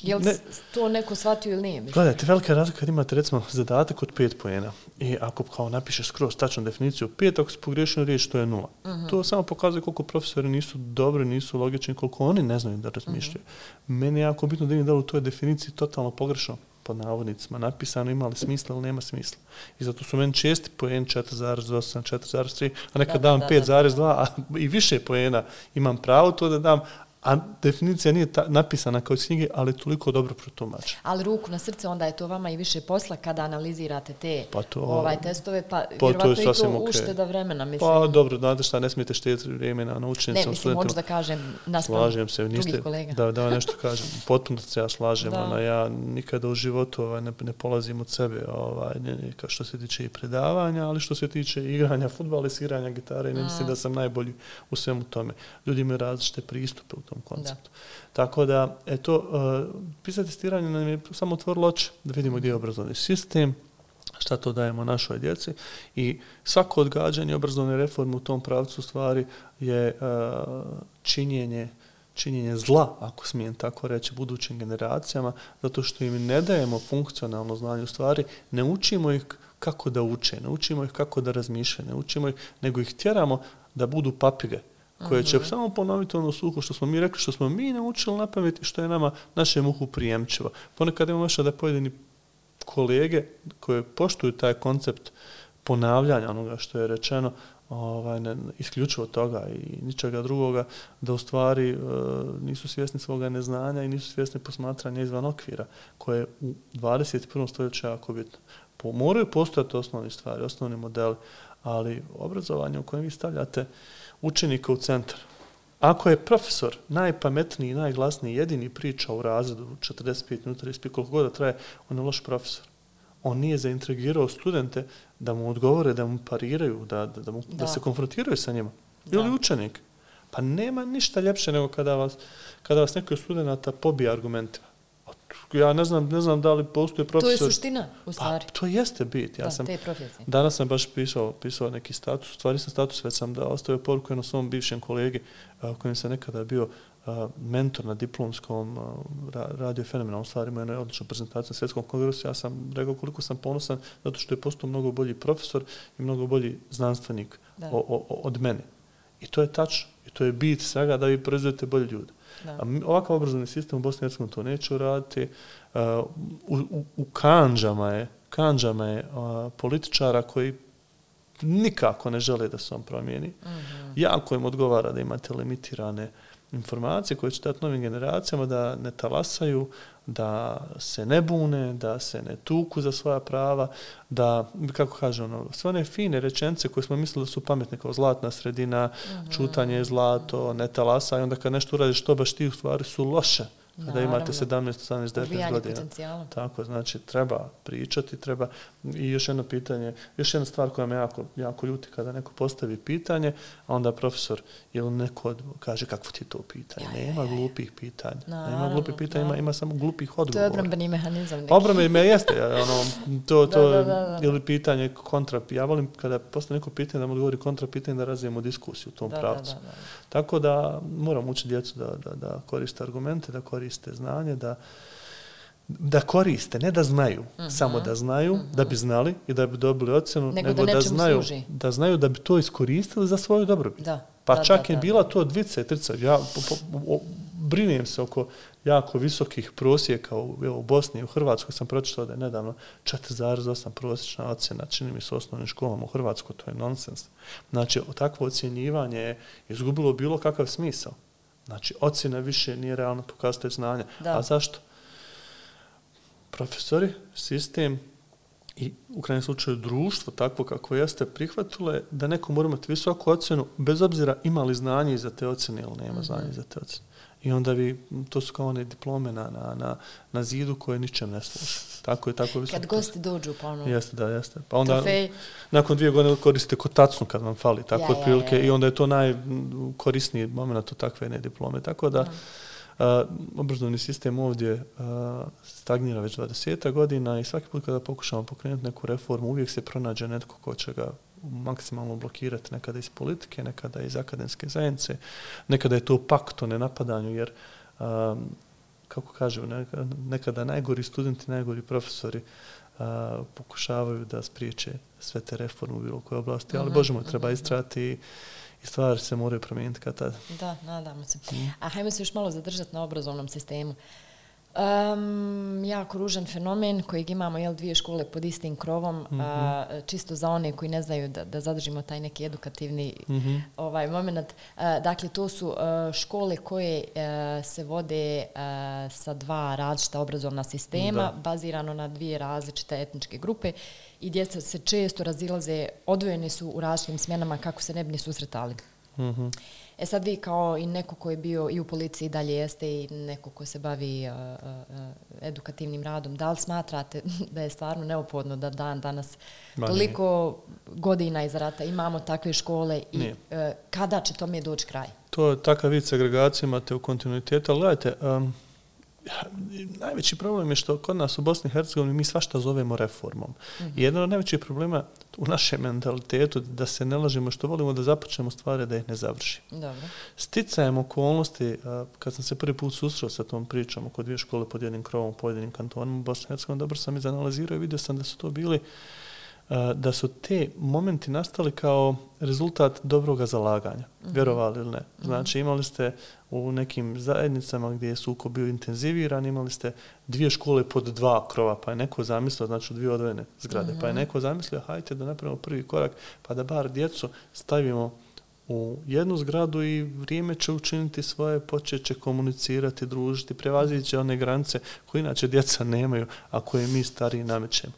Je li to neko shvatio ili nije? Gledajte, velika razlika kad imate recimo zadatak od 5 poena i ako kao napišeš skroz tačnu definiciju 5, ako se pogrešio riječ, to je 0. To samo pokazuje koliko profesori nisu dobri, nisu logični, koliko oni ne znaju da razmišljaju. Meni je jako bitno da vidim da li u toj definiciji totalno pogrešno pod navodnicima napisano ima li smisla ili nema smisla. I zato su meni česti poen 4,8, 4,3, a nekad dam 5,2, a i više poena imam pravo to da dam, a definicija nije napisana kao iz knjige, ali toliko dobro protumačena. Ali ruku na srce, onda je to vama i više posla kada analizirate te testove, pa vjerovatno i to ušteda vremena. Mislim. Pa dobro, znate šta, ne smijete štediti vremena na učenicama. Ne, mislim, možda da kažem naspram drugih kolega. Da nešto kažem, potpuno se ja slažem. Ja nikada u životu ne polazim od sebe što se tiče i predavanja, ali što se tiče igranja fudbala i sviranja gitare, ne mislim da sam najbolji u svemu tome. Ljudi imaju različite pristupe u tom konceptu. Tako da, PISA testiranje nam je samo otvorilo oči da vidimo gdje je obrazovni sistem, šta to dajemo našoj djeci i svako odgađanje obrazovne reforme u tom pravcu stvari je činjenje zla, ako smijem tako reći, budućim generacijama, zato što im ne dajemo funkcionalno znanje u stvari, ne učimo ih kako da uče, ne učimo ih kako da razmišljaju, ne učimo ih, nego ih tjeramo da budu papige, koje će samo ponoviti ono suho što smo mi rekli, što smo mi naučili na pamet i što je nama našem uhu prijemčivo. Ponekad imamo još da pojedini kolege koje poštuju taj koncept ponavljanja onoga što je rečeno, isključivo toga i ničega drugoga, da u stvari nisu svjesni svoga neznanja i nisu svjesni posmatranja izvan okvira, koje u 21. stoljeću jako bitno. Moraju postojati osnovne stvari, osnovni modeli, ali obrazovanje u kojem vi stavljate učenika u centar. Ako je profesor najpametniji i najglasniji jedini priča u razredu 45 minuta, koliko god da traje, on je loš profesor. On nije zaintrigirao studente da mu odgovore, da mu pariraju, da se konfrontiraju sa njima. Ili učenik. Pa nema ništa ljepše nego kada vas neko od studenta pobije argumentima. ja ne znam da li postoje profesor... To je suština, u stvari. Pa, to jeste bit. Te profesije. Danas sam baš pisao neki status, u stvari sam status, već sam ostavio poruku jednom svom bivšem kolegi, kojim sam nekada bio mentor na diplomskom, radio fenomenalno stvari, imao jednu odličnu prezentaciju na svjetskom kongresu. Ja sam rekao koliko sam ponosan zato što je postao mnogo bolji profesor i mnogo bolji znanstvenik od mene. I to je tačno. I to je bit svega da vi proizvodite bolje ljude. A ovakav obrazovni sistem u Bosni i Hercegovini to neće uraditi. U kanđama je političara koji nikako ne žele da se on promijeni. Jako im odgovara da imate limitirane informacije koje će dati novim generacijama, da ne talasaju, da se ne bune, da se ne tuku za svoja prava, da, kako kaže sve one fine rečenice koje smo mislili da su pametne, kao zlatna sredina, čutanje je zlato, ne talasaj, i onda kad nešto uradiš, to baš ti u stvari su loše. Kada imate 17, 18, 19 godina. Potencijala. Tako, znači, treba pričati, treba... I još jedno pitanje, još jedna stvar koja me jako ljuti kada neko postavi pitanje, a onda profesor ili neko kaže kakvo ti je to pitanje. Nema glupih pitanja. Nema glupih pitanja, ima samo glupih odgovora. To je obrambeni mehanizam neki. Obrambeni mehanizam jeste. Ili pitanje kontra... Ja volim kada postavi neko pitanje da mu odgovori kontra pitanje da razvijemo diskusiju u tom pravcu. Tako da moram učiti djecu da koriste argumente, da koriste znanje, da koriste, ne da znaju, samo da znaju, da bi znali i da bi dobili ocjenu, nego da znaju da bi to iskoristili za svoju dobrobit. Pa čak je bila to 2, 3. Ja brinem se oko jako visokih prosjeka u Bosni i u Hrvatskoj. Sam pročitao da je nedavno 4,8 prosječna ocjena, čini mi se u osnovnim školama u Hrvatskoj, to je nonsens. Znači, takvo ocjenjivanje je izgubilo bilo kakav smisao. Znači, ocjena više nije realno pokazatelj znanja. A zašto? Profesori, sistem i u krajnjem slučaju društvo, takvo kako jeste, prihvatilo je da neko mora imati visoku ocjenu, bez obzira ima li znanje iza te ocjene ili nema znanje iza te ocjene. I onda to su kao one diplome na zidu koje ničem ne služe. Tako visoko. Kad gosti dođu ponovno. Jeste. Pa onda nakon 2 godine koristite kotacnu kad vam fali, tako otprilike. I onda je to najkorisniji moment od takve jedne diplome. Tako da obrazovni sistem ovdje stagnira već 20 godina i svaki put kada pokušamo pokrenuti neku reformu, uvijek se pronađe netko ko će ga maksimalno blokirati, nekada iz politike, nekada iz akademske zajednice, nekada je to pakt o nenapadanju, jer kako kažu, nekada najgori studenti, najgori profesori pokušavaju da spriječe sve te reforme u bilo koje oblasti, ali Bože moj, treba istrati i stvari se moraju promijeniti kad tada. Da, nadamo se. A hajmo se još malo zadržati na obrazovnom sistemu. Jako ružan fenomen kojeg imamo 2 škole pod istim krovom, čisto za one koji ne znaju da zadržimo taj neki edukativni moment. Dakle, to su škole koje se vode sa 2 različita obrazovna sistema, bazirano na 2 različite etničke grupe i djeca se često razilaze, odvojeni su u različitim smjenama kako se ne bi ni susretali. Sad vi kao i neko ko je bio i u policiji dalje jeste i neko ko se bavi edukativnim radom, da li smatrate da je stvarno neophodno da danas toliko godina iz rata imamo takve škole i kada će tome doći kraj? To je takav vid segregacije, imate u kontinuitetu, ali gledajte, najveći problem je što kod nas u Bosni i Hercegovini mi svašta zovemo reformom. I jedan od najvećih problema u našem mentalitetu da se ne lažemo što volimo da započnemo stvari da ih ne završimo. Sticajem okolnosti, kad sam se prvi put susreo sa tom pričom oko 2 škole pod jednim krovom u pojedinim kantonima u Bosni i Hercegovini, dobro sam izanalizirao i vidio sam da su to bili da su te momenti nastali kao rezultat dobroga zalaganja, vjerovali ili ne. Znači imali ste u nekim zajednicama gdje je sukob bio intenziviran, imali ste 2 škole pod 2 krova, pa je neko zamislio, znači u 2 odvojene zgrade, pa je neko zamislio, hajte da napravimo prvi korak, pa da bar djecu stavimo u jednu zgradu i vrijeme će učiniti svoje, počeće komunicirati, družiti, prevazići one granice koje inače djeca nemaju, a koje mi stariji namećemo.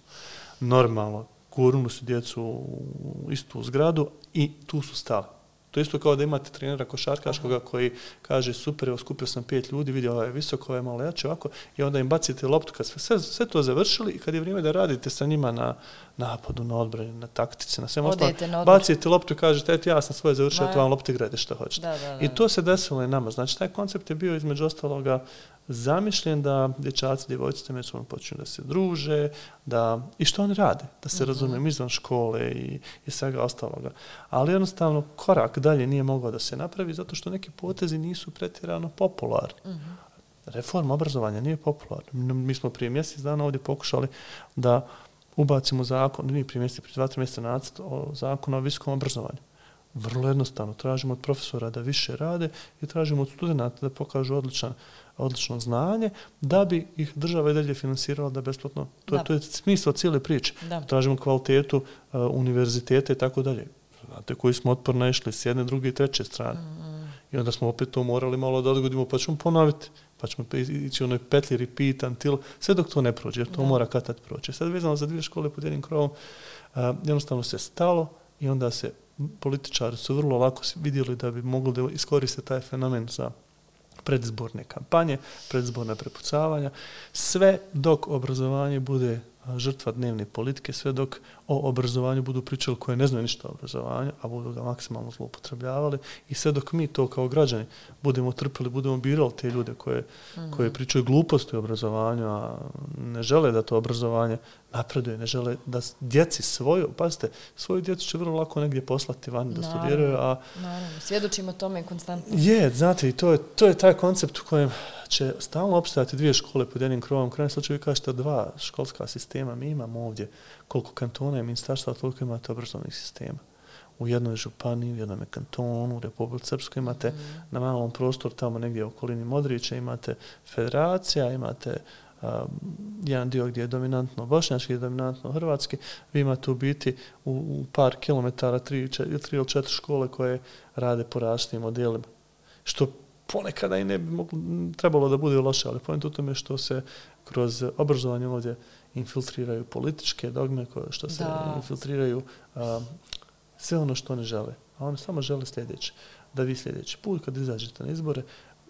Normalno, gurnuli su djecu u istu zgradu i tu su stali. To je isto kao da imate trenera košarkaškoga koji kaže super, evo skupio sam 5 ljudi, vidi ovaj je visoko, ovaj je malo jače, ovako, i onda im bacite loptu kad sve to završili i kad je vrijeme da radite sa njima na napadu, na odbrani, na taktici, na svem ostalom, bacite loptu i kažete, eto ja sam svoje završio, eto vam lopte gledajte što hoćete. I to se desilo i nama. Znači, taj koncept je bio između ostaloga zamišljen da dječaci, djevojčice međusobno počinju da se druže, i što oni rade, da se razumijemo izvan škole i svega ostaloga. Ali jednostavno korak dalje nije mogao da se napravi zato što neki potezi nisu pretjerano popularni. Reforma obrazovanja nije popularna. Mi smo prije mjesec dana ovdje pokušali da ubacimo zakon, nije prije 2-3 mjeseca nacrt o zakonu o visokom obrazovanju. Vrlo jednostavno, tražimo od profesora da više rade i tražimo od studenata da pokažu odlično znanje, da bi ih država i dalje finansirala da besplatno. To je smisao cijele priče. Tražimo kvalitetu univerziteta i tako dalje. Znate koji smo otporno išli s jedne, druge i treće strane. I onda smo opet to morali malo da odgodimo, pa ćemo ponoviti. Pa ćemo ići u onoj petlji, repeat, until, sve dok to ne prođe, jer to mora kad proći. Sad vezano za 2 škole pod jednim krovom, jednostavno se stalo i onda se političari su vrlo lako vidjeli da bi mogli da iskoriste taj fenomen za predizborne kampanje, predizborna prepucavanja, sve dok obrazovanje bude žrtva dnevne politike, sve dok o obrazovanju budu pričali koje ne znaju ništa o obrazovanju, a budu ga maksimalno zloupotrebljavali i sve dok mi to kao građani budemo trpili, budemo birali te ljude koje pričaju gluposti o obrazovanju, a ne žele da to obrazovanje napreduje, ne žele da djeci svoju djecu će vrlo lako negdje poslati vani da studiraju, a... Naravno, svjedočimo tome konstantno. Znate, i to je taj koncept u kojem će stalno opstajati 2 škole pod jednim krovom. U krajnjem slučaju vi kažete 2 školska sistema. Mi imamo ovdje koliko kantona i ministarstva, toliko imate obrazovnih sistema. U jednoj županiji, u jednom kantonu, u Republici Srpskoj imate na malom prostoru, tamo negdje u okolini Modrića, imate federacija, imate jedan dio gdje je dominantno bošnjački, dominantno hrvatski. Vi imate u biti u par kilometara 3 ili 4 škole koje rade po različitim modelima. Što ponekada i ne bi trebalo da bude loše, ali point u tome što se kroz obrazovanje ovdje infiltriraju političke dogme, što se infiltriraju sve ono što oni žele. A oni samo žele sljedeće. Da vi sljedeći put kad izađete na izbore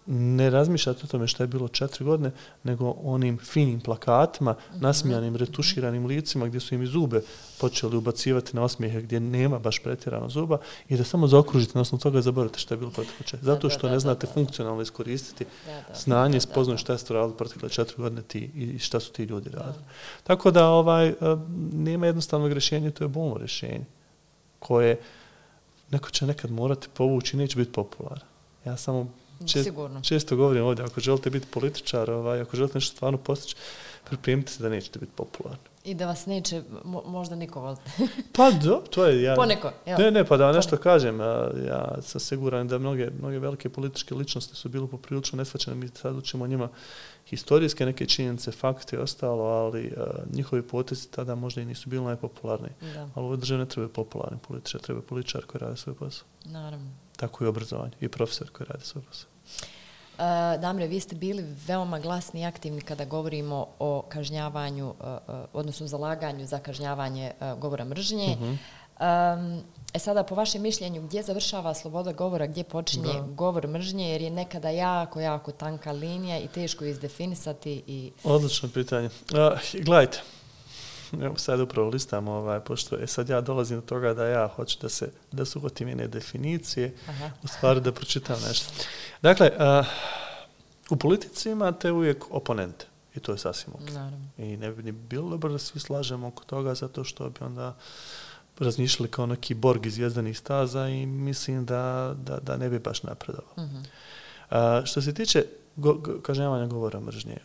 ne razmišljate o tome što je bilo 4 godine, nego onim finim plakatima, nasmijanim, retuširanim licima gdje su im i zube počeli ubacivati na osmijehe gdje nema baš pretjerano zuba i da samo zaokružite, na osnovu toga zaboravite što je bilo protekle 4. Zato što ne znate funkcionalno iskoristiti znanje, spoznaju šta ste radili protekle 4 godine ti i šta su ti ljudi radili. Tako da nema jednostavnog rješenja, to je bolno rješenje koje neko će nekad morati povući i neće biti popularan. Ja samo često govorim ovdje, ako želite biti političar, ako želite nešto stvarno postići, pripremite se da nećete biti popularni. I da vas neće možda niko voliti. Pa to je... Poneko. Pa da vam nešto kažem. Ja sam siguran da mnoge velike političke ličnosti su bile poprilično neshvaćene. Mi sad učimo njima historijske neke činjenice, fakte i ostalo, ali njihovi potezi tada možda i nisu bili najpopularniji. Ali u ovoj državi ne treba popularni političar, treba političar koji radi svoj posao. Naravno. Tako i obrazovanje i profesor koji radi svoj posao. Damre, vi ste bili veoma glasni i aktivni kada govorimo o kažnjavanju, odnosno zalaganju za kažnjavanje govora mržnje. Sada, po vašem mišljenju, gdje završava sloboda govora, gdje počinje govor mržnje, jer je nekada jako tanka linija i teško izdefinisati? Odlično pitanje. Gledajte, evo sad upravo listam, pošto sad ja dolazim do toga da ja hoću da se uhvatim jedne definicije, u stvari da pročitam nešto. Dakle, u politici imate uvijek oponente i to je sasvim ok. I ne bi ni bilo dobro da svi slažemo oko toga zato što bi onda razmišljali kao neki Borg iz Zvjezdanih staza i mislim da ne bi baš napredovalo. Što se tiče kažnjavanja govora mržnje,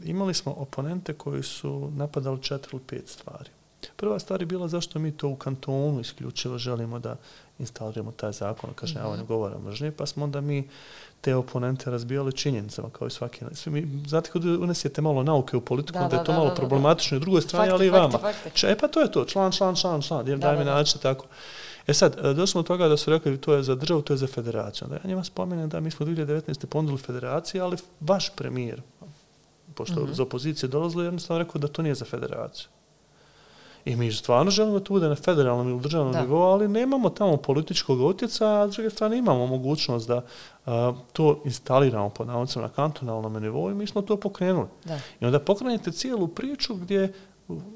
imali smo oponente koji su napadali 4 ili 5 stvari. Prva stvar je bila zašto mi to u kantonu isključivo želimo da instaliramo taj zakon o kažnjavanju govora mržnje, pa smo onda mi te oponente razbijali činjenicama kao i svaki. Znate, kad unesete malo nauke u politiku, onda je to malo problematično i drugoj strani, ali i vama. Pa to je to, član, daj mi naći tako. Sad, došli smo od toga da su rekli to je za državu, to je za federaciju. Onda ja njima spomenem da mi smo 2019. ponudili federaciji, ali vaš premijer, pošto iz opozicije dolazili, jednostavno rekao da to nije za federaciju. I mi stvarno želimo da to bude na federalnom ili državnom nivou, ali nemamo tamo političkog utjecaja, a s druge strane imamo mogućnost da to instaliramo pod navodnicima na kantonalnom nivou i mi smo to pokrenuli. I onda pokrenete cijelu priču gdje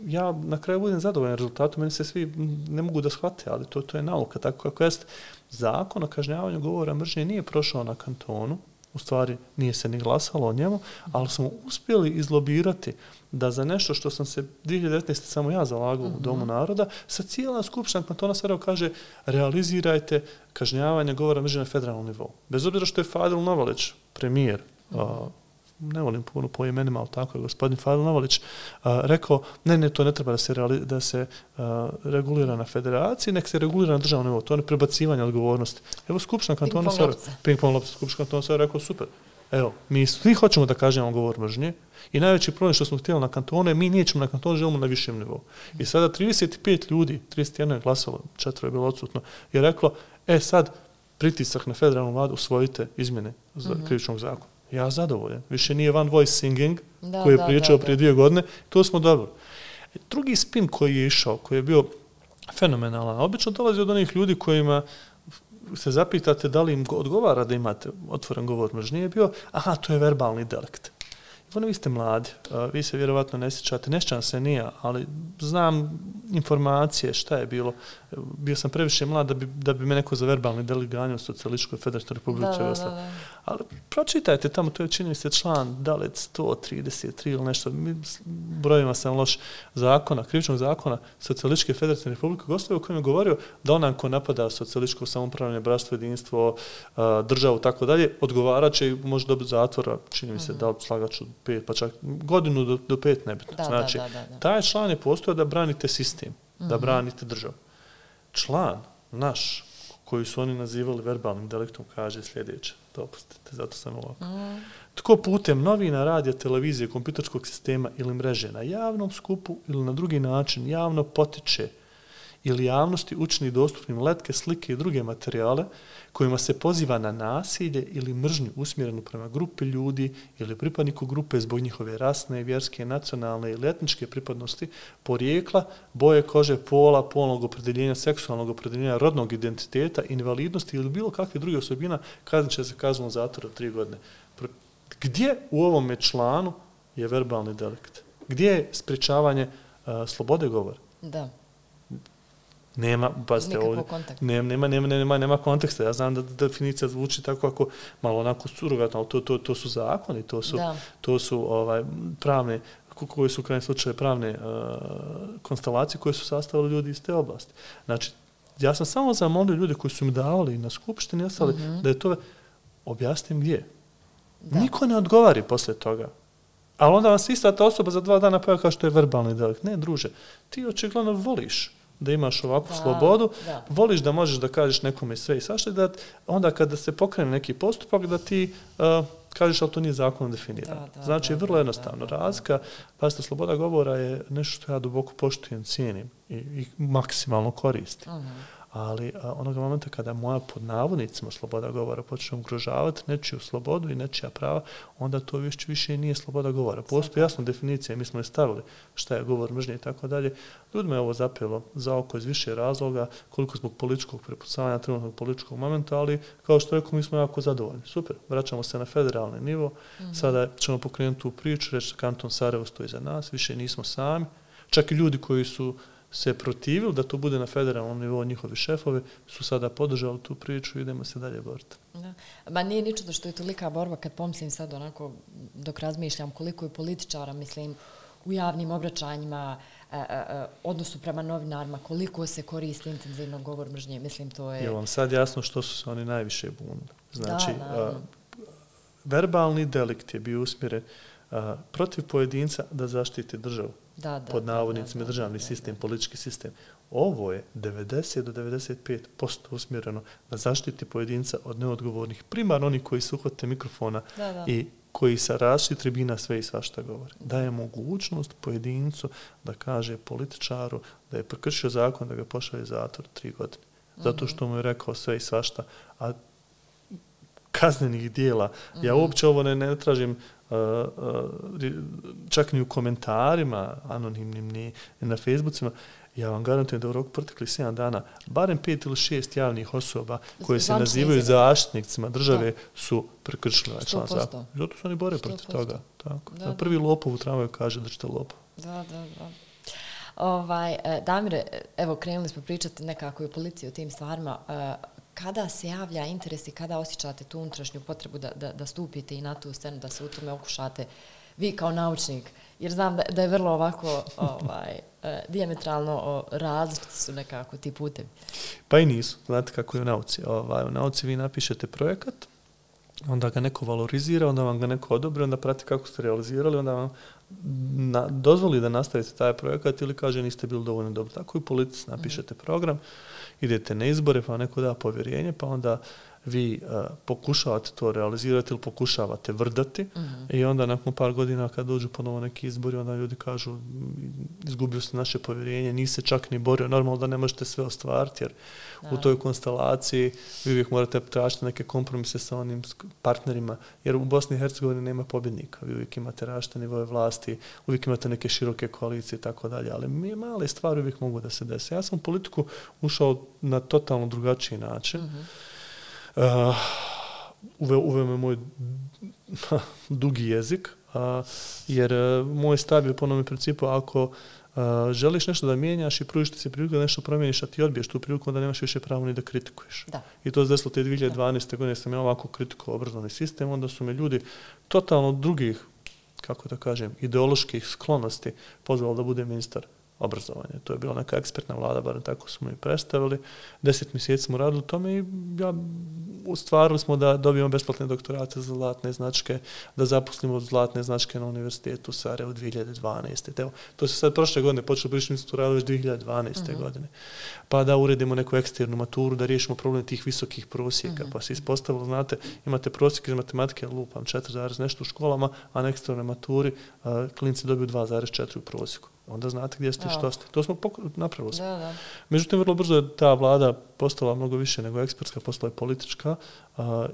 ja na kraju budem zadovoljan rezultatom, meni se svi ne mogu da shvate, ali to je nauka. Tako kako jest, zakon o kažnjavanju govora mržnje nije prošao na kantonu u stvari nije se ni glasalo o njemu, ali smo uspjeli izlobirati da za nešto što sam se 2019. samo ja zalagao u Domu naroda, sa cijela skupština kantona Sarajevo kaže realizirajte kažnjavanje govora mržnje na federalnom nivou. Bez obzira što je Fadil Novalić, premijer, ne volim puno po imenima, ali tako je gospodin Fadil Novalić rekao, ne, to ne treba da se regulira na federaciji, nek se regulira na državnom nivou. To je prebacivanje odgovornosti. Evo skupština kantona Sarajevo, ping-pong lopta, skupština kantona Sarajevo rekao, super. Evo, mi svi hoćemo da kažemo govor mržnje i najveći problem što smo htjeli na kantone, mi nećemo na kantone, želimo na višem nivou. I sada 35 ljudi, 31 je glasalo, 4 je bilo odsutno, je reklo, sad pritisak na federalnu vladu, usvojite izmjene krivičnog zakona. Ja zadovoljan. Više nije one voice singing koji je pričao prije 2 godine. To smo dobro. Drugi spin koji je išao, koji je bio fenomenalan, obično dolazi od onih ljudi kojima se zapitate da li im odgovara da imate otvoren govor mržnje, je bio, to je verbalni delikt. Vi ste mladi, vi se vjerovatno ne sjećate, ne sjećam se nije, ali znam informacije šta je bilo. Bio sam previše mlad da bi me neko za verbalni delikt ganjao u Socijalističkoj Federativnoj Republici Jugoslavije. Ali pročitajte tamo, to je čini se član dalet 133 ili nešto, brojima sam loš zakona, krivičnog zakona Socijalističke Federativne Republike Jugoslavije u kojem je govorio da onaj ko napada socijalističko samoupravljanje, bratstvo, jedinstvo, državu, tako dalje, odgovarat će i može dobiti zatvora, čini mi se da slagaču 5, pa čak godinu do 5 nebitno. Znači, taj član je postojao da branite sistem, da branite državu. Član naš, koji su oni nazivali verbalnim deliktom, kaže sljedeće, dopustite, zato sam ovako. Tko putem novina, radija, televizije, kompjuterskog sistema ili mreže na javnom skupu ili na drugi način javno potiče ili javnosti učini dostupnim letke, slike i druge materijale kojima se poziva na nasilje ili mržnju usmjerenu prema grupi ljudi ili pripadniku grupe zbog njihove rasne, vjerske, nacionalne ili etničke pripadnosti, porijekla, boje kože, pola, polnog opredjeljenja, seksualnog opredjeljenja, rodnog identiteta, invalidnosti ili bilo kakve druge osobina, kaznit će se kaznom zatvora 3 godine. Gdje u ovome članu je verbalni delikt? Gdje je sprječavanje slobode govora? Da. Nema, pazite, nema konteksta. Ja znam da definicija zvuči tako ako malo onako surogatno, ali to su zakoni, to su pravne, koji su u krajnjem slučaju pravne konstelacije koje su sastavili ljudi iz te oblasti. Znači, ja sam samo zamolio ljude koji su mi davali na skupštini ostali da je to objasnim gdje. Da. Niko ne odgovari poslije toga. Ali onda vam se ista ta osoba za 2 dana pojava kao što je verbalni delikt. Ne, druže, ti očigledno voliš da imaš ovakvu slobodu, voliš da možeš da kažeš nekome sve i svašta, da onda kada se pokrene neki postupak da ti kažeš, ali to nije zakonom definirano. Znači, vrlo jednostavno. Razlika, pazite, sloboda govora je nešto što ja duboko poštujem, cijenim i maksimalno koristim. Ali onoga momenta kada moja pod navodnicima sloboda govora počne ugrožavati nečiju slobodu i nečija prava, onda to više nije sloboda govora. Postoji jasna definicija, mi smo je stavili šta je govor mržnje i tako dalje. Ljudima je ovo zapelo za oko iz više razloga, koliko zbog političkog prepucavanja, trenutnog političkog momenta, ali kao što rekao, mi smo jako zadovoljni. Super, vraćamo se na federalni nivo, sada ćemo pokrenuti tu priču, reći da kanton Sarajevo stoji za nas, više nismo sami. Čak i ljudi koji su se protivili da to bude na federalnom nivou, njihovi šefovi su sada podržali tu priču i idemo se dalje boriti. Da. Ma nije ni čudo što je tolika borba kad pomislim sad onako dok razmišljam koliko je političara, mislim, u javnim obraćanjima, odnosu prema novinarima, koliko se koristi intenzivno govor mržnje, mislim to je... Je vam sad jasno što su se oni najviše bunili? Znači, verbalni delikt je bio usmjeren protiv pojedinca da zaštiti državu. Pod navodnicima državni sistem, politički sistem. Ovo je 90 do 95% usmjereno da zaštiti pojedinca od neodgovornih, primarno oni koji se uhvate mikrofona i koji sa različitih tribina sve i svašta govore. Daje mogućnost pojedincu da kaže političaru da je prekršio zakon, da ga pošalje zatvor 3 godine. Zato što mu je rekao sve i svašta, a kaznenih dijela. Ja uopće ovo ne tražim čak ni u komentarima anonimnim ni na Facebookima. Ja vam garantujem da u roku proteklih 7 dana barem 5 ili 6 javnih osoba koje se nazivaju zaštitnicima države su prekršili ovaj član zakona. Zato su oni bore protiv toga. Tako. Prvi lopov u tramvaju kaže da ćete lopov. Da. Damire, evo krenuli smo pričati nekako i o policiji o tim stvarima. kada se javlja interes i kada osjećate tu unutrašnju potrebu da stupite i na tu scenu, da se u tome okušate vi kao naučnik? Jer znam da je vrlo ovako dijametralno različiti su nekako ti putevi. Pa i nisu. Znate kako je u nauci. U nauci vi napišete projekat, onda ga neko valorizira, onda vam ga neko odobri, onda prati kako ste realizirali, onda vam dozvoli da nastavite taj projekat ili kaže niste bili dovoljno dobro. Tako i u politici napišete program, idete na izbore, pa neko da povjerenje, pa onda vi pokušavate to realizirati ili pokušavate vrdati i onda nakon par godina kad dođu ponovo neki izbori, onda ljudi kažu izgubio ste naše povjerenje, niste čak ni borio, normalno da ne možete sve ostvariti jer u toj konstelaciji vi uvijek morate tražiti neke kompromise sa onim partnerima, jer u Bosni i Hercegovini nema pobjednika, vi uvijek imate različite nivoje vlasti, uvijek imate neke široke koalicije i tako dalje, ali male stvari uvijek mogu da se desi. Ja sam u politiku ušao na totalno drugačiji način. Uveo me moj dugi jezik, jer moj stav je po onome principu ako želiš nešto da mijenjaš i pružiš ti se priliku da nešto promijeniš, a ti odbiješ tu priliku, onda nemaš više pravo ni da kritikuješ. Da. I to se desilo te 2012. godine, sam ja ovako kritikovao obrazovni sistem, onda su me ljudi totalno drugih, kako da kažem, ideoloških sklonosti pozvali da bude ministar obrazovanja. To je bila neka ekspertna vlada, barem tako smo i predstavili. 10 mjeseci smo radili u tome i ostvarili smo da dobijemo besplatne doktorate za zlatne značke, da zaposlimo zlatne značke na univerzitetu u Sarajevu 2012. Evo, to se sad prošle godine počelo, mi smo to radili već 2012. godine. Pa da uredimo neku eksternu maturu, da riješimo problem tih visokih prosjeka. Pa se ispostavilo, znate, imate prosjek iz matematike, lupam 4, nešto u školama, a na eksternoj maturi klinci dobiju 2,4 u prosjeku. Onda znate gdje ste i što ste. To smo napravili. Da. Međutim, vrlo brzo je ta vlada postala mnogo više nego ekspertska, postala je politička,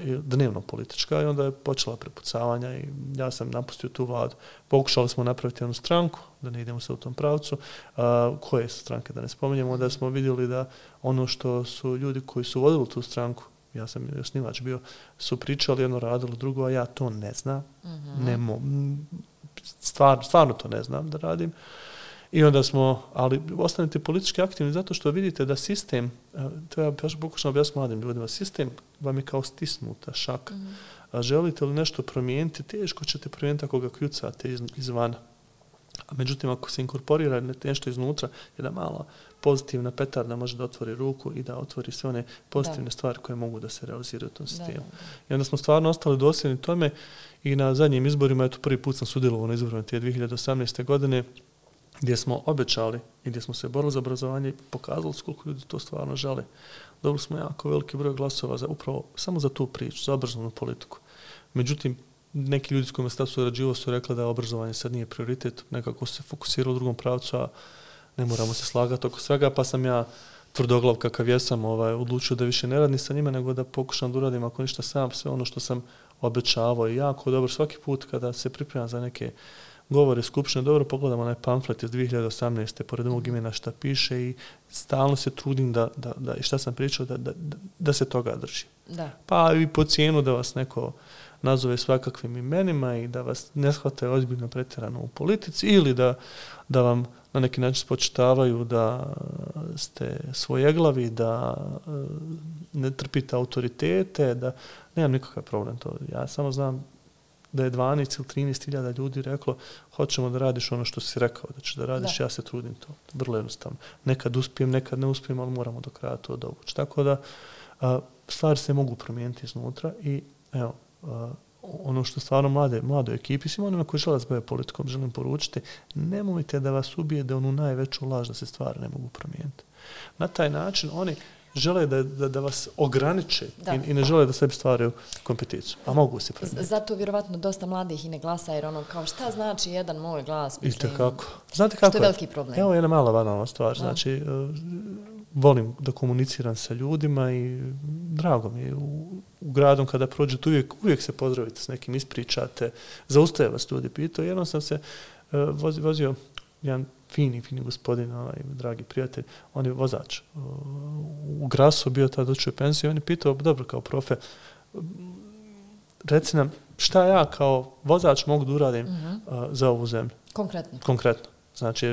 dnevno politička i onda je počela prepucavanja i ja sam napustio tu vladu. Pokušali smo napraviti jednu stranku, da ne idemo se u tom pravcu, koje su stranke, da ne spominjemo, da smo vidjeli da ono što su ljudi koji su vodili tu stranku, ja sam osnivač bio, su pričali jedno, radilo drugo, a ja to ne znam. Stvarno to ne znam da radim. I onda smo, ali ostanete politički aktivni zato što vidite da sistem, to ja pokušam objasniti mladim ljudima, sistem vam je kao stisnuta šaka. A želite li nešto promijeniti, teško ćete promijeniti ako ga kljucate izvana. A međutim, ako se inkorporira nešto iznutra, jedna mala pozitivna petarda može da otvori ruku i da otvori sve one pozitivne stvari koje mogu da se realiziraju u tom sistemu. I onda smo stvarno ostali dosljedni tome i na zadnjim izborima, eto prvi put sam sudjelovao na izborima te 2018. godine, gdje smo obećali i gdje smo se borili za obrazovanje i pokazali koliko ljudi to stvarno žele. Dobili smo jako veliki broj glasova upravo samo za tu priču, za obrazovnu politiku. Međutim, neki ljudi s kojima sam surađivao su rekli da obrazovanje sad nije prioritet, nekako se fokusiralo u drugom pravcu, a ne moramo se slagati oko svega, pa sam ja tvrdoglav kakav jesam odlučio da više ne radim sa njima, nego da pokušam da uradim ako ništa sam, sve ono što sam obećavao i jako dobro svaki put kada se pripremam za neke govore skupštine, dobro pogledam onaj pamflet iz 2018. pored mog imena šta piše i stalno se trudim da i šta sam pričao, da se toga drži. Da. Pa i po cijenu da vas neko nazove svakakvim imenima i da vas ne shvate ozbiljno pretjerano u politici ili da vam na neki način spočitavaju da ste svojeglavi, da ne trpite autoritete, da nemam nikakav problem to. Ja samo znam da je 12 ili 13 hiljada ljudi reklo hoćemo da radiš ono što si rekao da ćeš da radiš, ja se trudim to. Vrlo jednostavno. Nekad uspijem, nekad ne uspijem, ali moramo do kraja to dovući. Tako da stvari se mogu promijeniti iznutra i evo, ono što stvarno mladoj ekipi, svima onima koji žele da se bave politikom, želim poručiti, nemojte da vas ubijede onu najveću laž da se stvari ne mogu promijeniti. Na taj način oni žele da vas ograniče i ne žele da sebi stvaraju kompeticiju. A mogu se promijeniti. Zato vjerovatno dosta mladih i ne glasa jer ono kao šta znači jedan moj glas? Kako? Znate kako što je veliki problem? Evo jedna mala banalna stvar. Znači, volim da komuniciram sa ljudima i drago mi je u gradom kada prođete uvijek se pozdravite s nekim, ispričate, zaustaje vas ljudi pitao. Jednom sam se vozio jedan fini gospodin, dragi prijatelj, on je vozač. U Grasu bio tada učio penziju i on je pitao, dobro kao profe, reci nam šta ja kao vozač mogu da uradim za ovu zemlju. Konkretno. Znači,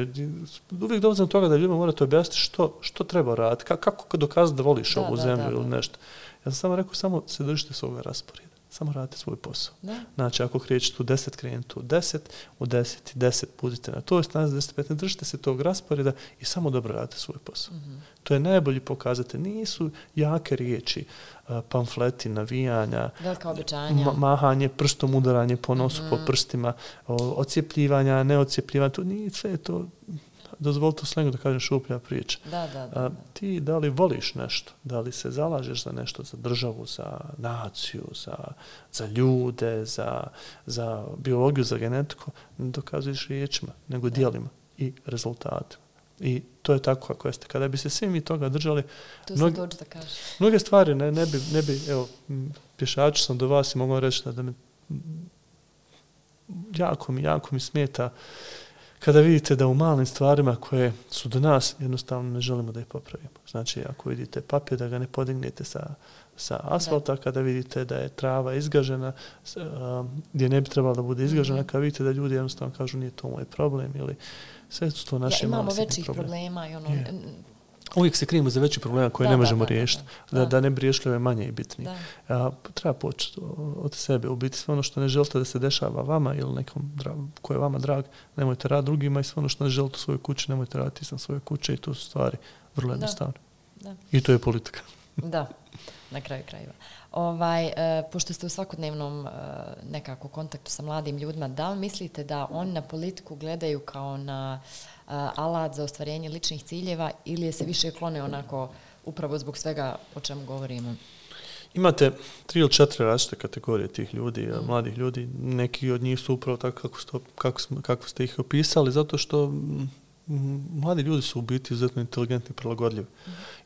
uvijek dolazim do toga da ljudima morate objasniti što treba raditi, kako dokazati da voliš ovu zemlju ili nešto. Ja sam samo rekao, samo se držite svoga rasporeda. Samo radite svoj posao. Da. Znači, ako krećete u 10, krenite u 10, u 10 i 10 budite na toj stranici 10-15, držite se tog rasporeda i samo dobro radite svoj posao. To je najbolji pokazatelj. Nisu jake riječi, pamfleti, navijanja, velika obećanja, mahanje prstom, udaranje po nosu, po prstima, ocijepljivanja, neocijepljivanja, to nije sve to. Dozvolite u slengu da kažem šuplja priča. Ti da li voliš nešto, da li se zalažeš za nešto, za državu, za naciju, za ljude, za biologiju, za genetiku, ne dokazuješ riječima, nego djelima i rezultatima. I to je tako kako jeste. Kada bi se svi mi toga držali, mnoge stvari ne bi, evo, pješač sam do vas i mogu reći da mi jako mi smeta kada vidite da u malim stvarima koje su do nas, jednostavno ne želimo da ih popravimo. Znači, ako vidite papir, da ga ne podignete sa asfalta, kada vidite da je trava izgažena, gdje ne bi trebala da bude izgažena, kada vidite da ljudi jednostavno kažu nije to moj problem, ili sve su to naši mali imamo većih problema i ono... Uvijek se krijemo za veći problema koje ne možemo riješiti. Da ne bi riješili ove manje i bitnije. Treba početi od sebe. U biti sve ono što ne želite da se dešava vama ili nekom ko je vama drag, nemojte raditi drugima, i sve ono što ne želite u svojoj kući, nemojte raditi sam svoje kuće, i to su stvari vrlo jednostavne. I to je politika. Da, na kraju krajeva. Pošto ste u svakodnevnom nekako kontaktu sa mladim ljudima, da li mislite da oni na politiku gledaju kao na alat za ostvarenje ličnih ciljeva, ili se više klone onako upravo zbog svega o čemu govorimo? Imate 3 ili 4 različite kategorije tih ljudi, mladih ljudi. Neki od njih su upravo tako kako ste ih opisali, zato što mladi ljudi su u biti izuzetno inteligentni i prilagodljivi.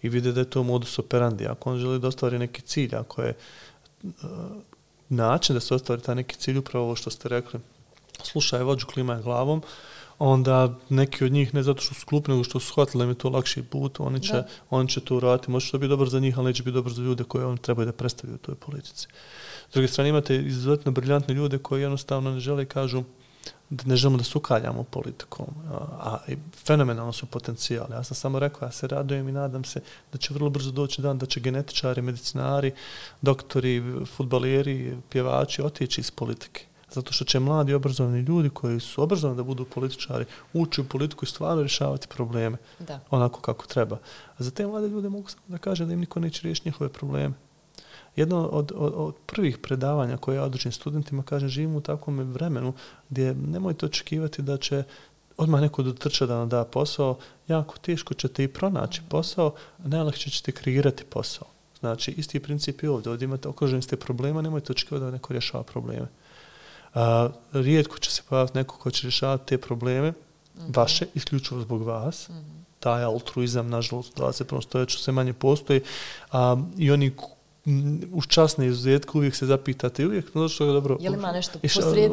I vide da je to modus operandi. Ako on želi da ostvari neki cilj, ako je način da se ostvari taj neki cilj, upravo ovo što ste rekli, slušaj vođu, klimaj glavom, onda neki od njih, ne zato što su glupi, nego što su shvatili da im je to lakši put, oni će to uraditi. Može to biti dobro za njih, ali neće biti dobro za ljude koje oni trebaju da predstavljaju u toj politici. S druge strane, imate izuzetno briljantne ljude koji jednostavno ne žele i kažu da ne želimo da se ukaljamo politikom, a fenomenalno su potencijali. Ja sam samo rekao, ja se radujem i nadam se da će vrlo brzo doći dan da će genetičari, medicinari, doktori, fudbaleri, pjevači otići iz politike. Zato što će mladi obrazovani ljudi koji su obrazovani da budu političari ući u politiku i stvarno rješavati probleme onako kako treba. A za te mlade ljude mogu samo da kažem da im niko neće riješiti njihove probleme. Jedno od prvih predavanja koje ja održim studentima, kažem, živimo u takvom vremenu gdje nemojte očekivati da će odmah neko dotrča da nam da posao, jako teško ćete i pronaći posao, a najlakše ćete kreirati posao. Znači, isti princip je ovdje. Ovdje imate okruženi ste problema, nemojte očekivati da neko rješava probleme. Rijetko će se pojaviti neko ko će rješavati te probleme, vaše, isključivo zbog vas. Taj altruizam, nažalost, u 21. stoljeću sve manje postoji. I oni uz časne izuzetke uvijek se zapitate i uvijek, no što je dobro. Je li ima nešto posrijed?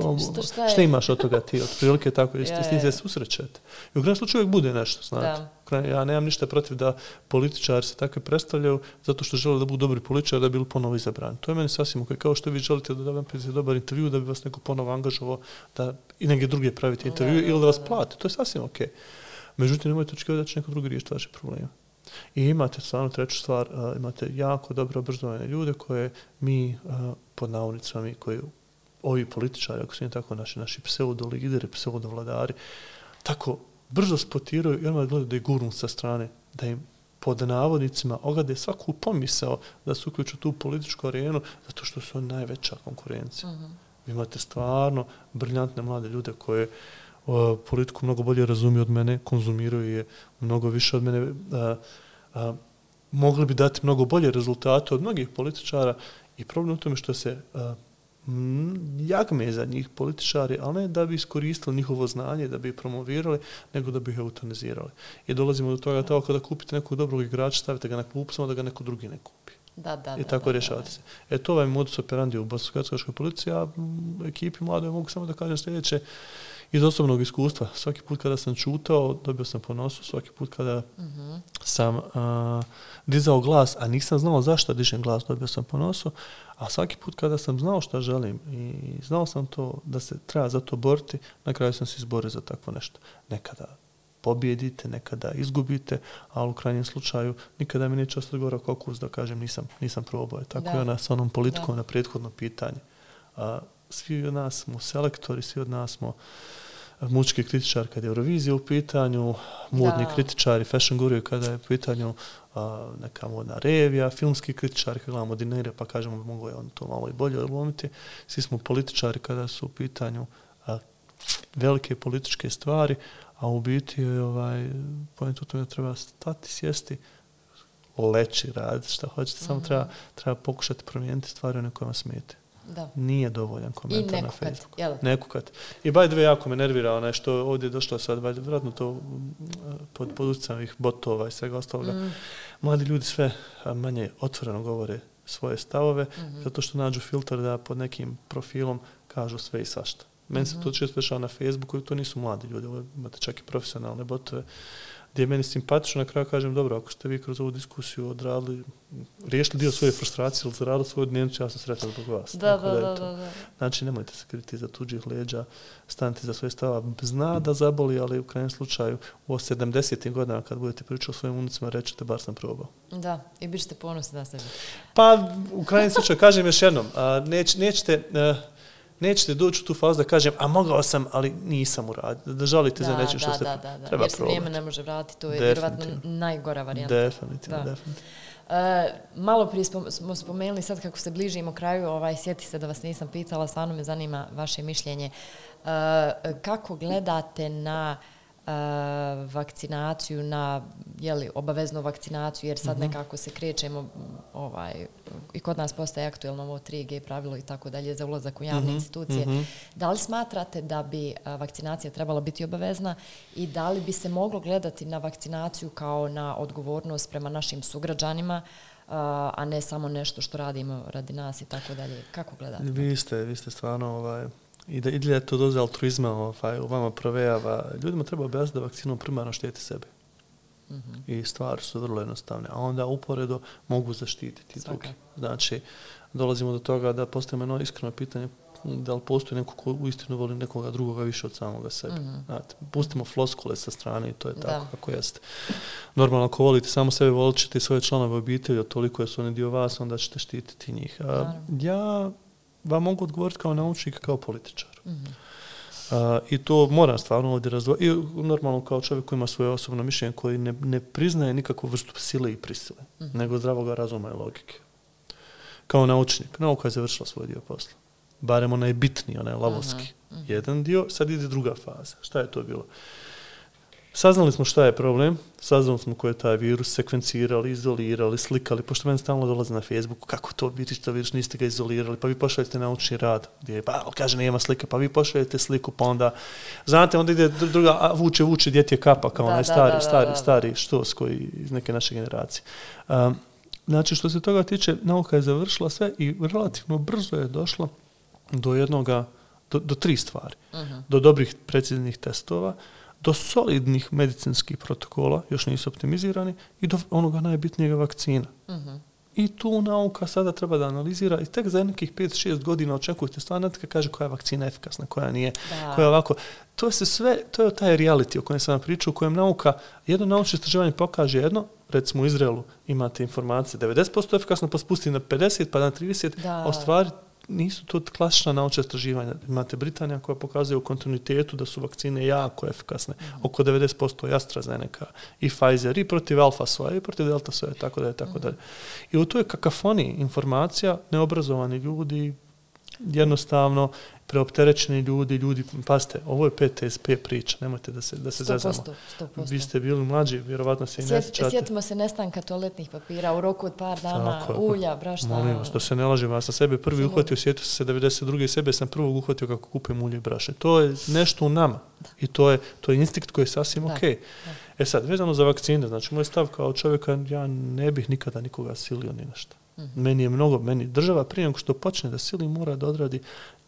Šta imaš od toga ti? Otprilike tako, s tim se susrećete. I u krajnjem slučaju uvijek bude nešto, znate. Ja nemam ništa protiv da političari se takve predstavljaju zato što žele da budu dobri političari da bi bili ponovo izabrani. To je meni sasvim ok. Kao što vi želite da napravite dobar intervju, da bi vas neko ponovo angažovao da i negdje druge pravite intervju ili da vas plate. To je sasvim ok. Međutim, nemojte očekivati da će neko drugi riješiti vaše probleme. I imate stvarno treću stvar, imate jako dobro obrazovane ljude koje mi pod navodnicama, koji ovi političari, ako su im tako naši pseudo-lideri, pseudo-vladari, tako brzo spotiraju i odmah gledaju da je gurnu sa strane, da im pod navodnicima ogade svaku pomisao da se uključu tu političku arenu, zato što su najveća konkurencija. Vi imate stvarno briljantne mlade ljude koje politiku mnogo bolje razumiju od mene, konzumiraju je mnogo više od mene, mogli bi dati mnogo bolje rezultate od mnogih političara i problem u tome što se jagme za njih političari, ali ne da bi iskoristili njihovo znanje, da bi ih promovirali, nego da bi ih eutanizirali. I dolazimo do toga tako kada kupite nekog dobrog igrača, stavite ga na klupu, samo da ga neko drugi ne kupi. I tako rješavate se. To je modus operandi u bosansko-hercegovačkoj policiji, a ekipi mladoj mogu samo da kažem sljedeće. iz osobnog iskustva. Svaki put kada sam čutao, dobio sam ponosu. Svaki put kada sam dizao glas, a nisam znao zašto dižem glas, dobio sam ponosu. A svaki put kada sam znao šta želim i znao sam to da se treba za to boriti, na kraju sam se izborio za takvo nešto. Nekada pobjedite, nekada izgubite, ali u krajnjem slučaju nikada mi neće ostati gore kokus da kažem nisam probao. Tako je ona sa onom politikom na prethodno pitanje. Svi od nas smo selektori, svi od nas smo mučki kritičar kada je Eurovizija u pitanju, modni kritičari, fashion guru kada je u pitanju neka modna revija, filmski kritičari kada gledamo Dinere pa kažemo mogu je on to malo i bolje odlomiti. Svi smo političari kada su u pitanju velike političke stvari, a u biti point u tome treba stati, sjesti, leći, raditi šta hoćete, samo treba pokušati promijeniti stvari one koje vam smete. Da. Nije dovoljan komentar i na Facebooku. Nekukat. I by the way, jako me nervira što ovdje je došlo sad, vjerojatno to pod utjecajem ovih botova i svega ostaloga. Mladi ljudi sve manje otvoreno govore svoje stavove, zato što nađu filter da pod nekim profilom kažu sve i svašta. Meni se to često dešava na Facebooku i to nisu mladi ljudi, imate čak i profesionalne botove, gdje je meni simpatično, na kraju kažem, dobro, ako ste vi kroz ovu diskusiju odradili, riješili dio svoje frustracije ili zaradili svoju dnevnicu, ja sam sretan zbog vas. Da. Znači, nemojte se kriti za tuđih leđa, stanite za svoje stava. Zna da zaboli, ali u krajnjem slučaju u 70. godinama kad budete pričali o svojim unicima, rećete, bar sam probao. Da, i bit ćete ponosni na sebi. Pa, u krajnjem slučaju, kažem još jednom, nećete doći u tu fazu da kažem, a mogao sam, ali nisam uradio. Da žalite za nečim što ste treba probati. Jer se vrijeme ne može vratiti, to je vjerovatno najgora varijanta. Definitivno. Malo prije smo spomenuli, sad kako se bližimo kraju, sjeti se da vas nisam pitala, stvarno me zanima vaše mišljenje. Kako gledate na vakcinaciju, na obaveznu vakcinaciju, jer sad nekako se krećemo, i kod nas postaje aktuelno ovo 3G pravilo i tako dalje za ulazak u javne institucije. Da li smatrate da bi vakcinacija trebala biti obavezna i da li bi se moglo gledati na vakcinaciju kao na odgovornost prema našim sugrađanima, a ne samo nešto što radimo radi nas i tako dalje? Kako gledate? Vi ste stvarno i da je to doza altruizma u vama provejava. Ljudima treba objasniti da vakcinom primarno štiti sebe. I stvari su vrlo jednostavne. A onda uporedo mogu zaštititi drugi. Znači, dolazimo do toga da postavimo jedno iskreno pitanje da li postoji neko ko uistinu voli nekoga drugoga više od samoga sebe. Znate, pustimo floskule sa strane i to je tako kako jeste. Normalno, ako volite samo sebe, volit ćete i svoje članove obitelji, od toliko su oni dio vas, onda ćete štititi njih. Ja vam mogu odgovoriti kao naučnik, kao političar. I to moram stvarno ovdje razdvojiti. I normalno kao čovjek koji ima svoje osobno mišljenje, koji ne priznaje nikakvu vrstu sile i prisile, nego zdravoga razuma i logike. Kao naučnik. Nauka je završila svoj dio posla. Barem onaj bitniji, onaj lavovski. Jedan dio, sad ide druga faza. Šta je to bilo? Saznali smo šta je problem, saznali smo ko je taj virus, sekvencirali, izolirali, slikali, pošto meni stalno dolaze na Facebooku, kako to vidiš, niste ga izolirali, pa vi pošaljete naučni rad, gdje kaže nema slike, pa vi pošaljete sliku, pa onda, znate, onda ide druga, vuče, djeti je kapa, kao onaj stari štos koji iz neke naše generacije. Znači, što se toga tiče, nauka je završila sve i relativno brzo je došla do jednoga, do tri stvari. Do dobrih, preciznih testova, do solidnih medicinskih protokola, još nisu optimizirani, i do onoga najbitnijega vakcina. I tu nauka sada treba da analizira i tek za nekih 5-6 godina očekujete stvarno kad kaže koja je vakcina efikasna, koja nije, koja je ovako. To se sve, to je taj reality o kojem sam vam pričao, u kojem nauka, jedno naučno istraživanje pokaže jedno, recimo u Izraelu imate informacije 90% efikasno, pa spusti na 50, pa na 30, a u stvari nisu to klasična naučna istraživanja. Imate Britanija koja pokazuje u kontinuitetu da su vakcine jako efikasne. Oko 90% AstraZeneca i Pfizer i protiv alfa soja i protiv delta soja, tako dalje. I u toj kakafoniji informacija, neobrazovani ljudi, jednostavno preopterećeni ljudi, pazite, ovo je PTSP priča, nemojte da se zezamo. 100%. Vi ste bili mlađi, vjerovatno se i ne sjećate. Sjetimo se nestanka toaletnih papira u roku od par dana, ulja, brašna. Molim vas, to se ne lažem, ja sam sebe prvi uhvatio, sjetio se 92. sebe sam prvog uhvatio kako kupim ulje i brašne. To je nešto u nama i to je instinkt koji je sasvim okej. Sad, vezano za vakcine, znači moj stav kao čovjeka, ja ne bih nikada nikoga silio ni nešto. Meni država prije nego što počne da sili mora da odradi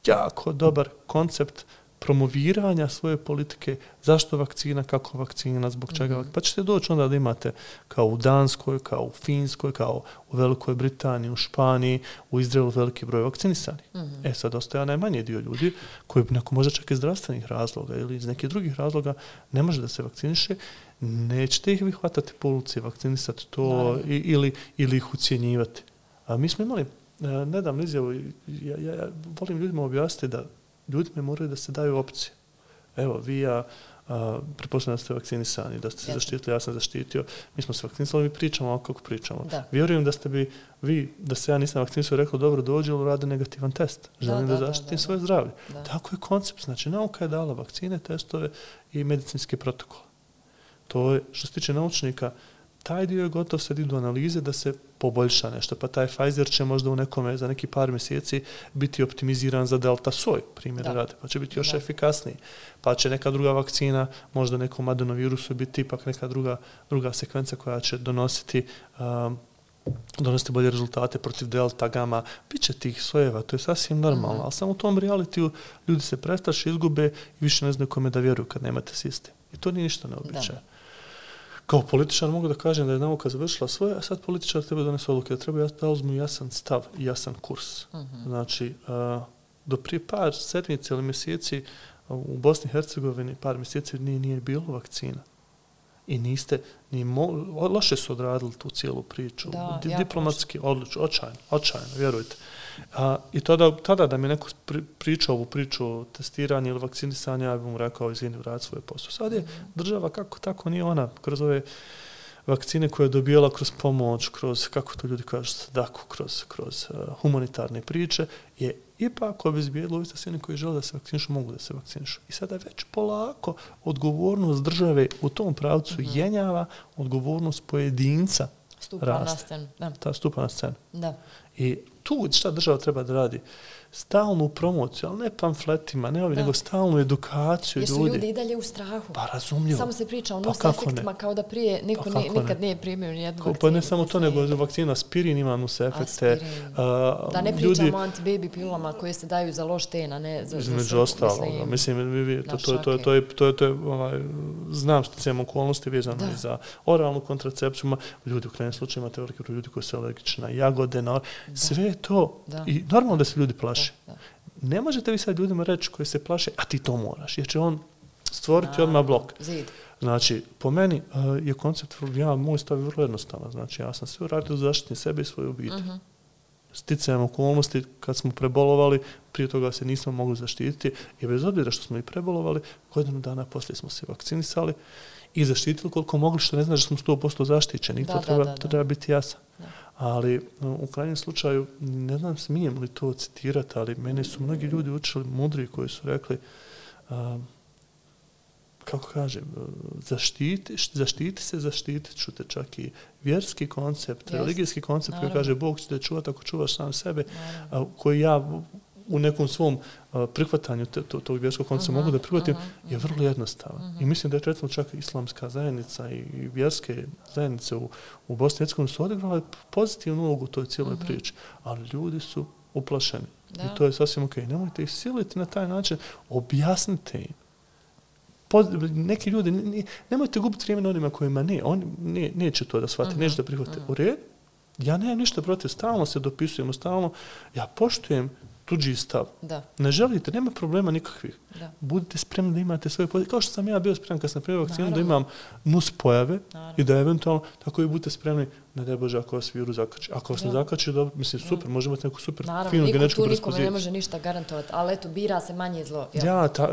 jako dobar koncept promoviranja svoje politike, zašto vakcina, kako vakcina, zbog čega. Pa ćete doći onda da imate kao u Danskoj, kao u Finskoj, kao u Velikoj Britaniji, u Španiji, u Izraelu veliki broj vakcinisanih. Sad ostaje najmanji dio ljudi koji neko može čak iz zdravstvenih razloga ili iz nekih drugih razloga ne može da se vakciniše, nećete ih vi hvatati po ulici, vakcinisati to ili ih ucjenjivati. A mi smo imali nedavno izjavu, ja volim ljudima objasniti da ljudima moraju da se daju opcije. Evo, vi ja pretpostavljam da ste vakcinisani, da ste se zaštitili, ja sam zaštitio, mi smo se vakcinisali, mi pričamo ovako kako pričamo. Vjerujem da ste bi vi, da se ja nisam vakcinisao, rekao dobro dođe ili radi negativan test. Želim da zaštitim svoje zdravlje. Tako je koncept. Znači, nauka je dala vakcine, testove i medicinske protokole. To je, što se tiče naučnika, taj dio je gotov, sad idu analize da se poboljša nešto, pa taj Pfizer će možda u nekome za neki par mjeseci biti optimiziran za delta soj, primjer radi, pa će biti još efikasniji. Pa će neka druga vakcina, možda nekom adenovirusu biti ipak neka druga sekvenca koja će donositi bolje rezultate protiv delta, gama, bit će tih sojeva, to je sasvim normalno, ali samo u tom realitiju ljudi se prestraše, izgube i više ne znaju kome da vjeruju kad nemate sistem. I to nije ništa neobičajno. Kao političar mogu da kažem da je nauka završila svoje, a sad političar treba donese odluke, da treba da uzmu jasan stav i jasan kurs. Znači, do prije par sedmice ili mjeseci u Bosni i Hercegovini par mjeseci nije bilo vakcina. I niste, loše su odradili tu cijelu priču. Diplomatski, očajno, vjerujte. I tada da mi neko pričao ovu priču o testiranju ili vakcinisanju, ja bih mu rekao, izvini, vrati svoje posao. Sad je država kako tako nije ona, kroz ove vakcine koje je dobijala kroz pomoć, kroz, kako to ljudi kažu, sadaku, kroz humanitarne priče, je ipak obezbijedilo uvijek svi oni koji žele da se vakcinišu, mogu da se vakcinišu. I sada već polako odgovornost države u tom pravcu jenjava, odgovornost pojedinca raste. Stupa na scenu. Da. I tu šta država treba da radi? Stalnu promociju, ali ne pamfletima, nego stalnu edukaciju ljudi. Jer su ljudi i dalje u strahu. Pa razumljivo. Samo se priča o nus-efektima kao da prije niko nikad nije primio nijednu vakcinu. Pa ne samo to, nego vakcina aspirin ima nus-efekte. Da ne pričamo o antibaby pilulama koje se daju za loš ten, a ne za između ostaloga. Mislim, to je znam sticajem okolnosti vezano i za oralnu kontracepciju. Ljudi u krajnjem slučaju imate veliki broj ljudi koji su alergični na jagode, sve to. I normalno da se ljudi plaše. Ne možete vi sad ljudima reći koji se plaše, a ti to moraš, jer će on stvoriti odmah blok. Znači, po meni je koncept, moj stav je vrlo jednostavan. Znači, ja sam sve uradio da zaštitim sebe i svoju obitelj. Sticajem okolnosti, kad smo prebolovali, prije toga se nismo mogli zaštititi i bez obzira što smo i prebolovali, godinu dana poslije smo se vakcinisali i zaštitili koliko mogli, što ne znači da smo 100% zaštićeni. To treba biti jasno. Ali u krajnjem slučaju, ne znam smijem li to citirati, ali mene su mnogi ljudi učili mudri koji su rekli, kako kažem, zaštitit ću te, čak i vjerski koncept, religijski koncept koji kaže Bog će te čuvati ako čuvaš sam sebe, koji ja u nekom svom prihvatanju tog vjerskog koncepta mogu da prihvatim, je vrlo jednostavan. I mislim da je recimo čak islamska zajednica i vjerske zajednice u Bosni i Hercegovini su odigrale pozitivnu ulogu u toj cijeloj priči, ali ljudi su uplašeni. I to je sasvim okej. Nemojte ih siliti na taj način, objasnite im. Neki ljudi, nemojte gubiti vrijeme na onima kojima neće to da shvate, neće da prihvate. U redu, ja nemam ništa protiv, stalno se dopisujemo, stalno, ja poštujem tuđi stav. Ne želite, nema problema nikakvih. Budite spremni da imate svoje pozicije. Kao što sam ja bio spreman kad sam primio vakcinu da imam nus pojave i da eventualno, tako i budite spremni, ne daj Bože, ako vas virus zakači. Ako vas ne zakači, mislim, super, može imati neku super finu genetičku predispoziciju. Naravno, nikome ne može ništa garantovati, ali eto, bira se manje zlo.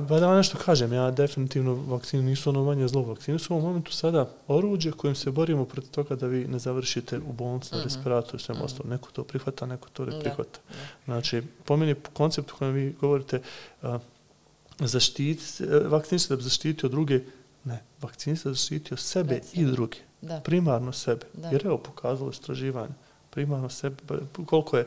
Da nešto kažem, ja definitivno vakcine nisu ono manje zlo. Vakcine su u ovom momentu sada oruđe kojim se borimo protiv toga da vi ne završite u bolnici na respiratoru i svem ostalo. Neko to prihvata, neko to ne prihvata. Znači, po meni koncept u kojem vi govorite vakcin se da bi zaštitio druge, ne, vakcin se da bi zaštitio sebe i druge. Primarno sebe. Jer evo pokazalo istraživanje. Primarno sebe, koliko je,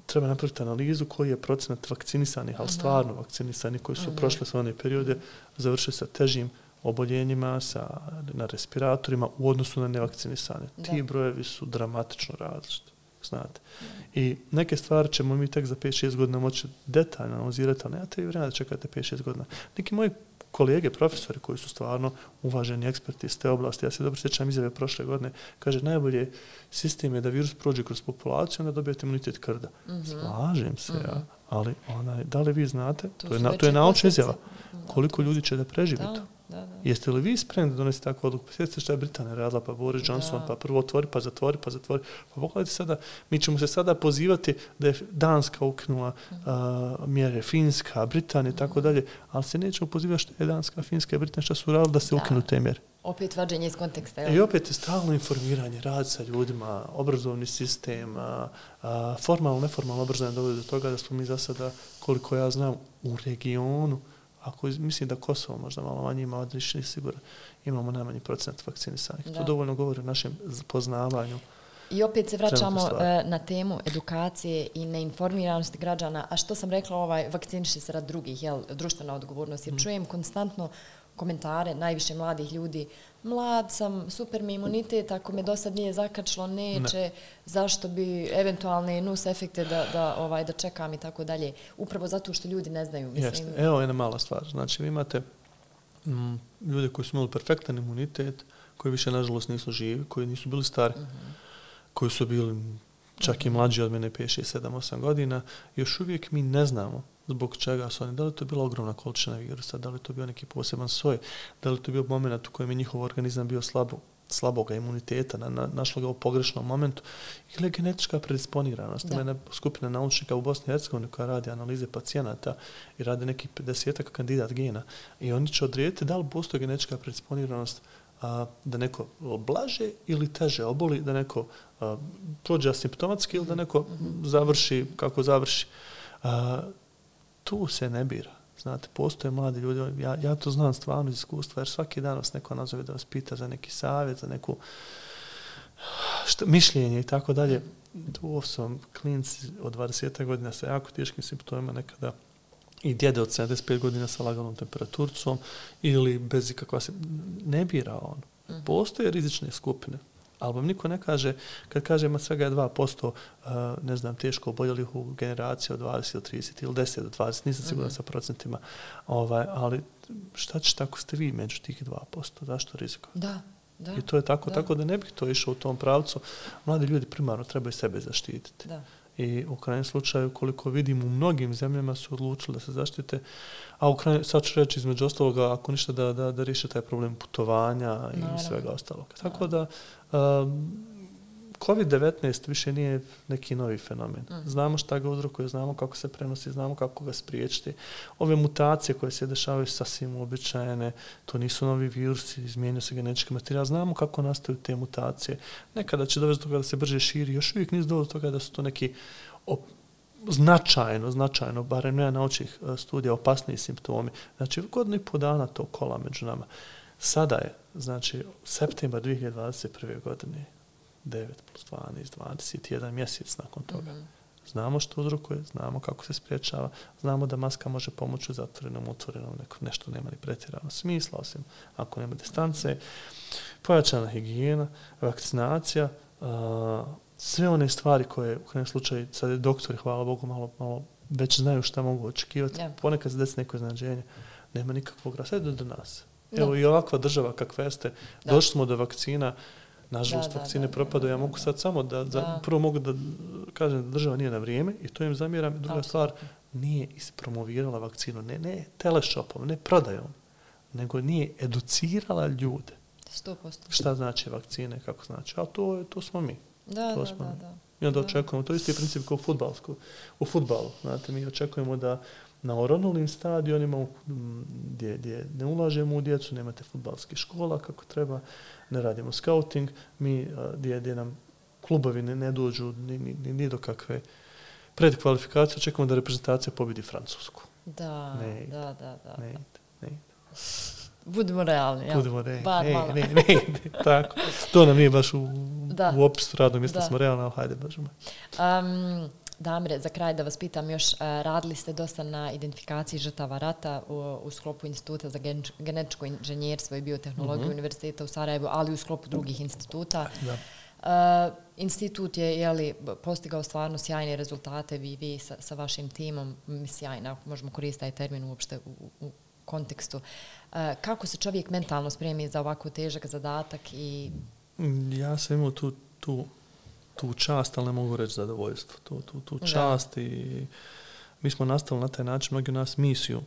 treba napraviti analizu koji je procenat vakcinisanih, ali stvarno vakcinisanih koji su prošle sve one periode, završili sa težim oboljenjima, na respiratorima u odnosu na nevakcinisane. Ti brojevi su dramatično različiti. znate. I neke stvari ćemo mi tek za 5-6 godina moći detaljno analizirati, ali nemate vi vremena da čekate 5-6 godina. Neki moji kolege, profesori koji su stvarno uvaženi eksperti iz te oblasti, ja se dobro sjećam izjave prošle godine, kaže najbolje sistem je da virus prođe kroz populaciju, onda dobijete imunitet krda. Slažem se, ja, ali da li vi znate, to je naučna izjava, koliko ljudi će da preživi to. Da. Jeste li vi spremni da donesete takvu odluku? Sjetite što je Britanija radila, pa Boris Johnson, pa prvo otvori, pa zatvori. Pa pogledajte sada, mi ćemo se sada pozivati da je Danska ukinula mjere, Finska, Britanija i tako dalje, ali se nećemo pozivati što je Danska, Finska i Britanija što su radili da se ukinu te mjere. Opet vađenje iz konteksta. I opet je stalno informiranje, rad sa ljudima, obrazovni sistem, formalno, neformalno obrazovanje dovodi do toga da smo mi za sada, koliko ja znam, u regionu, ako mislim da Kosovo možda malo manje ima, odlični siguran, imamo najmanji procent vakcinisanih. To dovoljno govori o našem poznavanju. I opet se vraćamo na temu edukacije i neinformiranosti građana. A što sam rekla, vakciniši se rad drugih, društvena odgovornost, jer čujem konstantno komentare najviše mladih ljudi. Mlad sam, super mi imunitet, ako me do sad nije zakačilo, neće, zašto bi eventualne nus efekte da čekam i tako dalje. Upravo zato što ljudi ne znaju. Jeste. Evo jedna mala stvar. Znači, vi imate ljude koji su imali perfektan imunitet, koji više, nažalost, nisu živi, koji nisu bili stari, koji su bili čak i mlađi od mene 5, 6, 7, 8 godina. Još uvijek mi ne znamo zbog čega su oni. Da li to bila ogromna količina virusa, da li to bio neki poseban soj, da li to bio moment u kojem je njihov organizam bio slaboga imuniteta, našlo ga u pogrešnom momentu, ili je genetička predisponiranost. Ima jedna skupina naučnika u Bosni i Hercegovini koja radi analize pacijenata i radi neki 50 kandidat gena i oni će odrediti da li postoji genetička predisponiranost da neko blaže ili teže oboli, da neko prođe asimptomatski ili da neko završi kako završi. Tu se ne bira. Znate, postoje mladi ljudi, ja to znam stvarno iz iskustva, jer svaki dan vas neko nazove da vas pita za neki savjet, za neku mišljenje i tako dalje. Tu su klinci od 20 godina sa jako teškim simptomima, nekada i djede od 75 godina sa laganom temperaturcom ili bez ikakva se... Ne bira on. Postoje rizične skupine. Ali vam niko ne kaže, kad kažemo svega je 2%, ne znam, teško oboljelih u generaciji od 20 do 30 ili 10 do 20, nisam siguran sa procentima, ali šta ćete ako ste vi među tih 2%? Zašto riziko? Da. I to je tako da ne bih to išao u tom pravcu. Mladi ljudi primarno trebaju sebe zaštititi. Da. I u krajnjem slučaju, koliko vidim, u mnogim zemljama su odlučili da se zaštite, a u krajnjem, sad ću reći između ostaloga, ako ništa da riješe taj problem putovanja i svega ostalog. Tako da COVID-19 više nije neki novi fenomen. Znamo šta ga uzrokuje, znamo kako se prenosi, znamo kako ga spriječiti. Ove mutacije koje se dešavaju sasvim uobičajene, to nisu novi virusi, izmijenio se genetički materijal, znamo kako nastaju te mutacije. Nekada će dovesti do toga da se brže širi, još uvijek nisu dovoljno do toga da su to neki značajno, barem ne naučnih studija, opasniji simptomi. Znači, godinu i po dana to kola među nama. Sada je, znači, septembar 2021. godine, 9 plus 12, 21 mjesec nakon toga. Znamo što uzrokuje, znamo kako se spriječava, znamo da maska može pomoći u zatvorenom, otvorenom, nešto nema ni pretjerano smisla, osim ako nema distance, pojačana higijena, vakcinacija, sve one stvari koje u krajnjem slučaju, sad je doktori, hvala Bogu, malo već znaju šta mogu očekivati. Ponekad se desi neko iznenađenje, nema nikakvog raseda do nas. Evo i ovakva država kakva jeste, došli smo do vakcina, nažalost vakcine propadaju, ja mogu sad samo prvo mogu da kažem da država nije na vrijeme i to im zamjeram. Druga stvar, nije ispromovirala vakcinu, ne teleshopom, ne prodajom, nego nije educirala ljude. 100%. Šta znači vakcine, kako znači, a to smo mi. Da. I onda očekujemo, to je isti princip kao u fudbalu. Znate, mi očekujemo da na oronulnim stadionima gdje ne ulažemo u djecu, nemate fudbalskih škola kako treba, ne radimo scouting, mi gdje nam klubovi ne dođu ni do kakve predkvalifikacije, očekujemo da reprezentacija pobjedi Francusku. Da. Ne ide. Budimo realni. Ne ide. Tako. To nam nije baš u opisu radnog mjesta, smo realni, ali hajde, Bože. Damire, za kraj da vas pitam još, radili ste dosta na identifikaciji žrtava rata u sklopu Instituta za genetičko inženjerstvo i biotehnologiju Univerziteta u Sarajevu, ali u sklopu drugih instituta. Institut je postigao stvarno sjajne rezultate, vi sa vašim timom, sjajno, ako možemo koristiti taj termin uopšte u kontekstu. Kako se čovjek mentalno spremi za ovako težak zadatak? Ja sam imao tu čast, ali ne mogu reći zadovoljstvo. Tu čast i mi smo nastavili na taj način, mnogi nas misiju.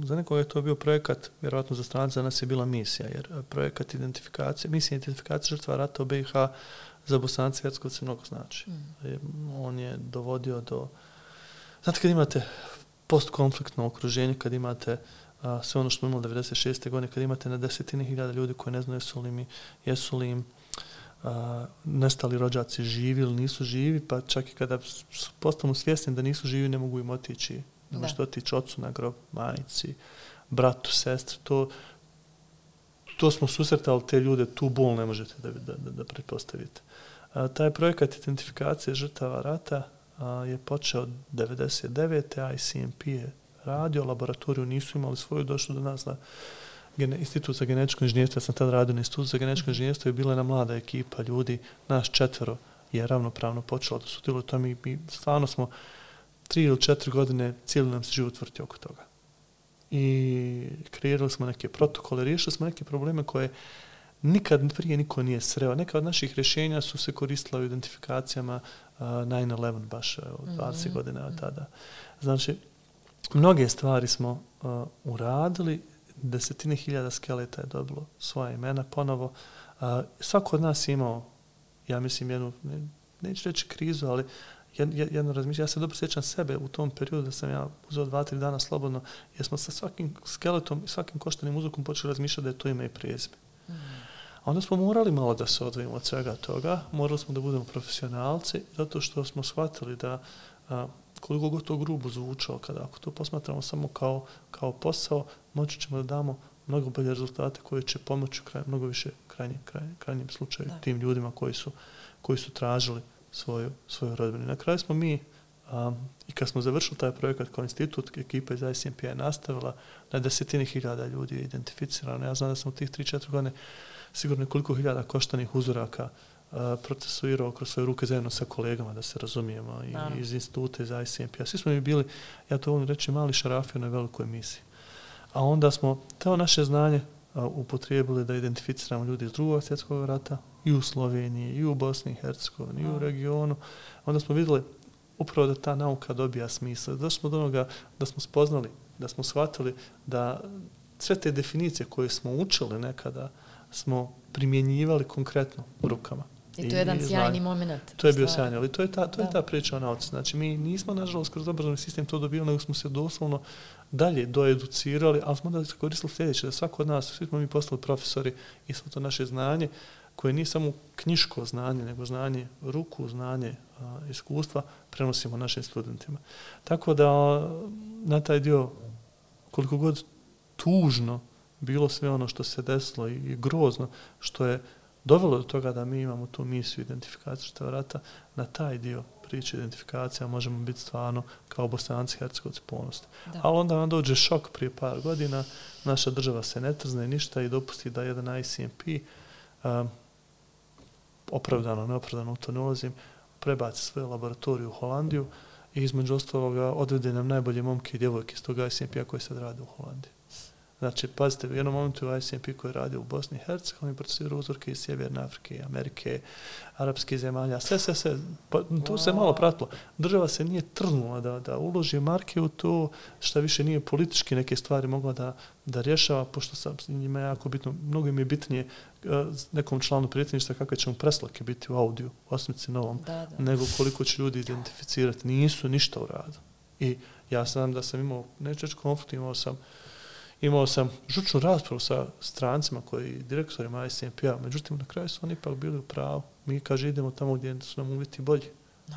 Za nekoga je to bio projekat, vjerojatno za strance, za nas je bila misija, jer projekat identifikacije, misija identifikacije žrtva rata u BiH za Bosance i Hercegovce mnogo znači. On je dovodio do... Znate, kad imate postkonfliktno okruženje, kad imate sve ono što smo imali 96. godine, kad imate na desetine hiljada ljudi koji ne znaju jesu li im nestali rođaci živi ili nisu živi, pa čak i kada postanu svjesni da nisu živi, ne mogu im otići. Ne možete otići ocu na grob, majici, bratu, sestri. To smo susretali te ljude, tu bol ne možete da pretpostavite. Taj projekat identifikacije žrtava rata je počeo 99. ICMP je radio, laboratoriju nisu imali svoju, došlo do nas na Institut za genetičko inženjerstvo. Ja sam tad radio na Institut za genetičko inženjerstvo i bila jedna mlada ekipa ljudi, nas 4 je ravnopravno počelo da sudjeluju u tome i stvarno smo 3 ili 4 godine cijeli nam se život vrti oko toga. I kreirali smo neke protokole, riješili smo neke probleme koje nikad prije niko nije sreo. Neka od naših rješenja su se koristila u identifikacijama 9/11 baš 20 godina od tada. Znači, mnoge stvari smo uradili, desetine hiljada skeleta je dobilo svoja imena ponovo. Svako od nas je imao, ja mislim, jednu, neću reći krizu, ali jedno razmišljanje. Ja se dobro sjećam sebe u tom periodu da sam ja uzeo 2-3 dana slobodno, jer smo sa svakim skeletom i svakim koštanim uzrokom počeli razmišljati da je to ime i prezime. A onda smo morali malo da se odvojimo od svega toga, morali smo da budemo profesionalci, zato što smo shvatili da koliko god to grubo zvučalo, ako to posmatramo samo kao posao, moći ćemo da damo mnogo bolje rezultate koji će pomoći mnogo više krajnjem slučaju tim ljudima koji su tražili svoju rodbinu. Na kraju smo mi, i kad smo završili taj projekat kao institut, ekipa iz ICMP-a je nastavila, na desetine hiljada ljudi je identificirano. Ja znam da sam u tih 3-4 godine sigurno nekoliko hiljada koštanih uzoraka procesuirao kroz svoje ruke zajedno sa kolegama, da se razumijemo, i iz instituta, iz ICMP-a. Svi smo mi bili, ja to volim reći, mali šarafi na velikoj misiji. A onda smo to naše znanje upotrijebili da identificiramo ljudi iz Drugog svjetskog rata i u Sloveniji, i u Bosni i Hercegovini, i u regionu. Onda smo vidjeli upravo da ta nauka dobija smisla. Došli smo do onoga da smo spoznali, da smo shvatili da sve te definicije koje smo učili nekada smo primjenjivali konkretno u rukama. I to je jedan sjajni moment. To je bio sjajni, ali to je ta priča o nauci. Znači, mi nismo, nažalost, kroz obrazovni sistem to dobili, nego smo se doslovno dalje doeducirali, ali smo da koristili sljedeće, da svako od nas, svi smo mi postali profesori i svo to naše znanje, koje nije samo knjiško znanje, nego znanje ruku, znanje iskustva, prenosimo našim studentima. Tako da na taj dio, koliko god tužno bilo sve ono što se desilo i grozno, što je dovelo do toga da mi imamo tu misiju identifikacije žrtava rata, na taj dio priče identifikacija možemo biti stvarno kao Bosanci, Hercegovci ponosni. Ali onda nam dođe šok prije par godina, naša država se ne trzne ništa i dopusti da jedan ICMP, opravdano, neopravdano, u to ne ulazim, prebaci svoju laboratoriju u Holandiju i između ostaloga odvede nam najbolje momke i djevojke iz toga ICMP-a koji sad rade u Holandiji. Znači, pazite, u jednom momentu u ICMP koji radi u Bosni i Hercegovini procesirao uzorke iz Sjeverne Afrike, Amerike, arapskih zemalja, sve. Pa, tu se malo pratilo. Država se nije trnula da uloži marke u to, šta više nije politički neke stvari mogla da rješava, pošto sam njima jako bitno, mnogo im je bitnije nekom članu predsjedništva kakve će mu preslake biti u audiju, u Osmici Novom, nego koliko će ljudi identificirati. Nisu ništa uradili. I ja sam da sam imao nećeć konflikt, imao sam žučnu raspravu sa strancima koji direktorima ICMP-a, međutim na kraju su oni ipak bili u pravu. Mi, kaže, idemo tamo gdje su nam uvjeti bolji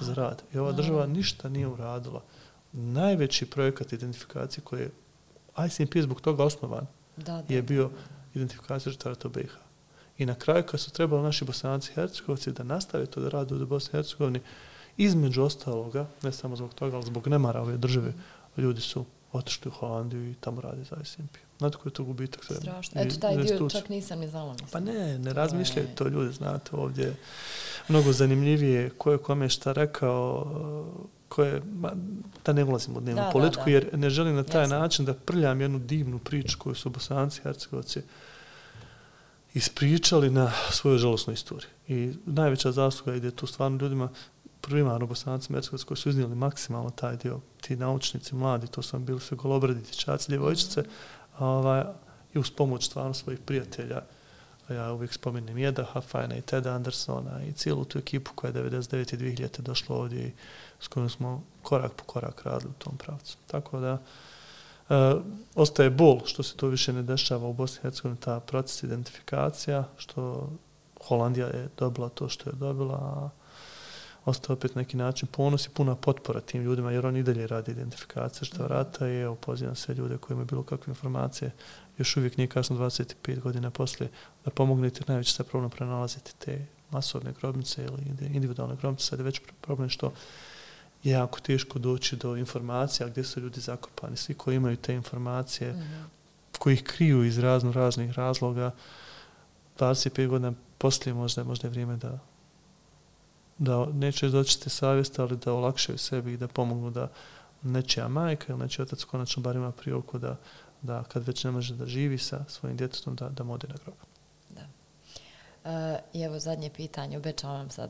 za rad. I ova država ništa nije uradila. Najveći projekat identifikacije koji je ICMP zbog toga osnovan je bio identifikacija žrtava rata u BiH. I na kraju kad su trebali naši Bosanci i Hercegovci da nastave to da rade u Bosni i Hercegovini, između ostaloga, ne samo zbog toga, ali zbog nemara ove države, ljudi su otišli u Holandiju i tamo radi za S&P. Znate koji je to gubitak? Strašno. Eto, taj dio čak nisam ni znala. Pa ne razmišljaju to ljudi, znate, ovdje je mnogo zanimljivije ko je kome šta rekao, da ne ulazim u dnevnu politiku, jer ne želim na taj način da prljam jednu divnu priču koju su Bosanci i Hercegovci ispričali na svojoj žalosnoj istoriji. I najveća zasluga ide tu stvarno ljudima, primarno Bosanci i Hercegovci koji su iznijeli maksimalno taj dio, ti naučnici, mladi, to su bili sve golobradi, dječaci, djevojčice, i uz pomoć stvarno svojih prijatelja. Ja uvijek spomenem Jeda Hafajna i Teda Andersona i cijelu tu ekipu koja je 99. i 2000. došla ovdje i s kojom smo korak po korak radili u tom pravcu. Tako da ostaje bol što se to više ne dešava u Bosni i Hercegovini, ta proces identifikacija, što Holandija je dobila to što je dobila, a ostaje opet neki način ponos i puna potpora tim ljudima, jer oni i dalje radi identifikacije što vrata i evo, pozivam sve ljude koji imaju bilo kakve informacije, još uvijek nije kasno 25 godina poslije, da pomognete, najveće se problem prenalaziti te masovne grobnice ili individualne grobnice, sad je već problem što je jako teško doći do informacija gdje su ljudi zakopani. Svi koji imaju te informacije, koji ih kriju iz raznih razloga, 25 godina poslije možda je vrijeme da neće doći savjest, ali da olakšaju sebi i da pomognu da nečija majka ili nečiji otac konačno bar ima priliku da kad već ne može da živi sa svojim djetetom, da mu ode na grob. I evo zadnje pitanje, obećavam sad,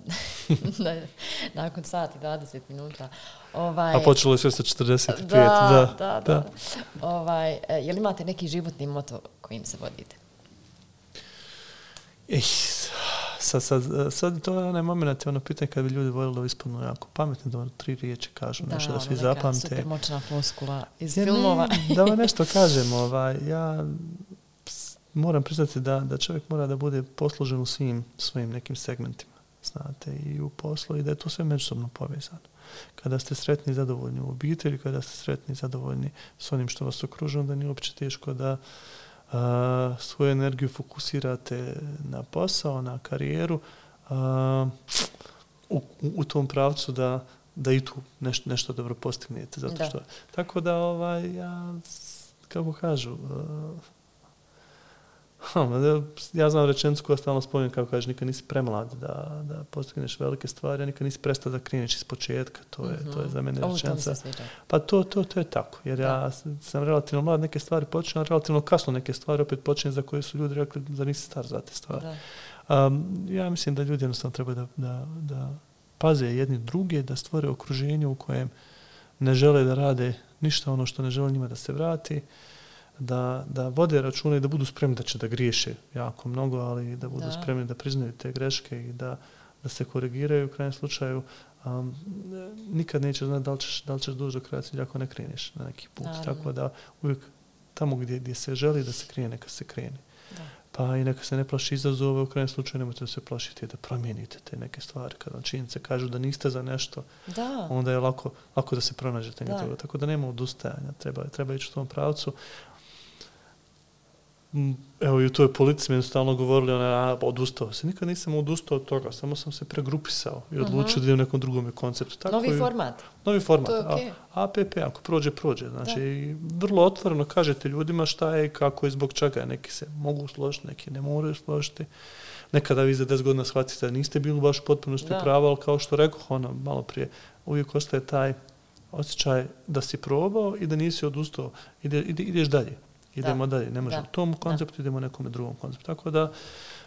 nakon sat i 20 minuta. A počelo je sve sa 45. Da. Je li imate neki životni moto kojim se vodite? Sad to je onaj moment, ono pitanje kad bi ljudi voljeli da ispadnu jako pametni, da 3 riječi kažu nešto da svi zapamte. Super moćna floskula iz filmova. Da vam nešto kažem, ja moram priznati da čovjek mora da bude poslužen u svim svojim nekim segmentima, znate, i u poslu i da je to sve međusobno povezano. Kada ste sretni i zadovoljni u obitelji, kada ste sretni i zadovoljni s onim što vas okružuje, onda nije uopće teško da svoju energiju fokusirate na posao, na karijeru, u tom pravcu da i tu nešto dobro postignete. Zato što, tako da, ja, kako kažu, ja znam rečenicu koja stalno spominjem, kako kažeš, nikad nisi premlad da postigneš velike stvari, a nikad nisi prestao da kreneš iz početka. To je za mene rečenica. Pa to je tako, jer ja sam relativno mlad, neke stvari počinjem, a relativno kasno neke stvari opet počinjem za koje su ljudi rekli da nisi star za te stvari. Ja mislim da ljudi jednostavno treba da paze jedni druge, da stvore okruženje u kojem ne žele da rade ništa ono što ne žele njima da se vrati, da vode račune i da budu spremni da će da griješe jako mnogo, ali da budu spremni da priznaju te greške i da se korigiraju u krajnjem slučaju. Nikad nećeš znati da li ćeš doći do kraja cilja ako ne kreneš na neki put. Tako da uvijek tamo gdje se želi da se krene, neka se krene. Pa i neka se ne plaši izazove, u krajnjem slučaju nemojte da se plašite da promijenite te neke stvari. Kad vam činjenice kažu da niste za nešto, onda je lako da se pronađete. Tako da nema odustajanja, treba ići u tom pravcu. Evo i u toj politici mi stalno govorili odustao se. Nikad nisam odustao od toga, samo sam se pregrupisao i odlučio da idem u nekom drugom konceptu. Tako novi format. Novi format. To je okay. APP, ako prođe. Znači, vrlo otvoreno kažete ljudima šta je i kako i zbog čega. Neki se mogu složiti, neki ne moraju složiti. Nekada vi za 10 godina shvatite da niste bili baš potpunosti prava, ali kao što rekao malo prije, uvijek ostaje taj osjećaj da si probao i da nisi odustao. Ideš dalje. Idemo dalje, ne možemo u tom konceptu, idemo u nekom drugom konceptu. Tako da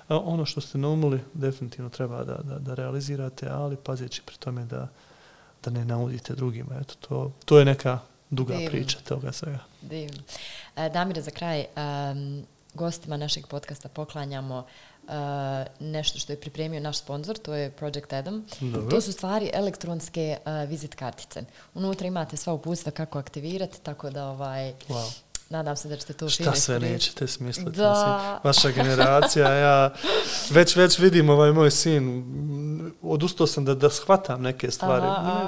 ono što ste naumili definitivno treba da realizirate, ali pazeći pri tome da ne naudite drugima. Eto, to je neka duga priča toga svega. Divno. Damire, za kraj, gostima našeg podcasta poklanjamo nešto što je pripremio naš sponsor, to je Project Adam. Dobro. To su stvari elektronske vizit kartice. Unutra imate sva uputstva kako aktivirati, tako da Nadam se da ćete to Šta sve nećete smisliti? Da. Vaša generacija, ja već vidim moj sin, odustao sam da shvatam neke stvari.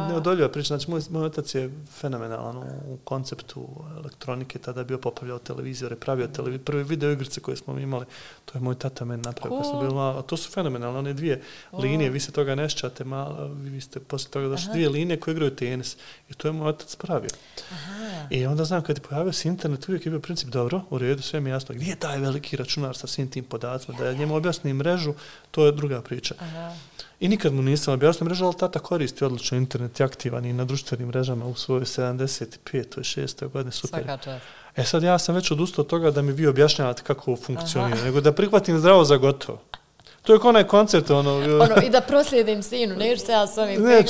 Neodoljiva priča, znači moj otac je fenomenalan u konceptu elektronike, tada je bio popravljao televizore, pravio prve video igrice koje smo imali, to je moj tata meni napravio. Cool. To su fenomenalne, one dvije linije, vi se toga ne šćate, vi ste poslije toga došli dvije linije koje igraju tenis i to je moj otac pravio. Aha. I onda znam, kad je pojavio se internet, uvijek je bio princip, dobro, u redu, sve mi jasno, gdje je taj veliki računar sa svim tim podacima, da ja njemu objasnim mrežu, to je druga priča. Aha. I nikad mu nisam objasnio mrežu, ali tata koristi odlično internet, je aktivan i na društvenim mrežama u svojoj 75. 6. godine, super. Svaka čast. Sad ja sam već odustao od toga da mi vi objašnjavate kako funkcionira, nego da prihvatim zdravo za gotovo. To je onaj koncept, i da proslijedim sinu, neću se ja s ovim... Ne,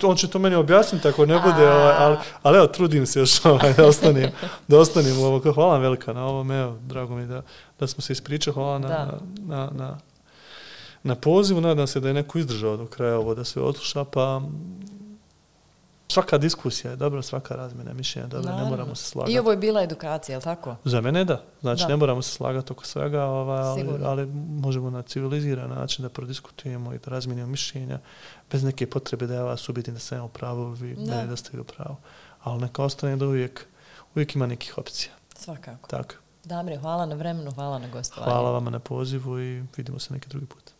on će to meni objasniti, ako ne bude, ali evo, trudim se još da ostanem u ovo. Hvala vam velika na ovom, evo, drago mi da smo se ispričali, hvala na pozivu, nadam se da je neko izdržao do kraja ovo, da se odsluša, pa svaka diskusija je dobra, svaka razmjena mišljenja je dobra, ne moramo se slagati. I ovo je bila edukacija, je li tako? Za mene da. Znači, ne moramo se slagati oko svega, ali možemo na civiliziran način da prodiskutujemo i da razmijenimo mišljenja bez neke potrebe da ja vas ubijedim da sam u pravu, vi meni da ste u pravu. Ali neka ostane da uvijek ima nekih opcija. Svakako. Tako. Damire, hvala na vremenu, hvala na gostovanju. Hvala vama na pozivu i vidimo se neki drugi put.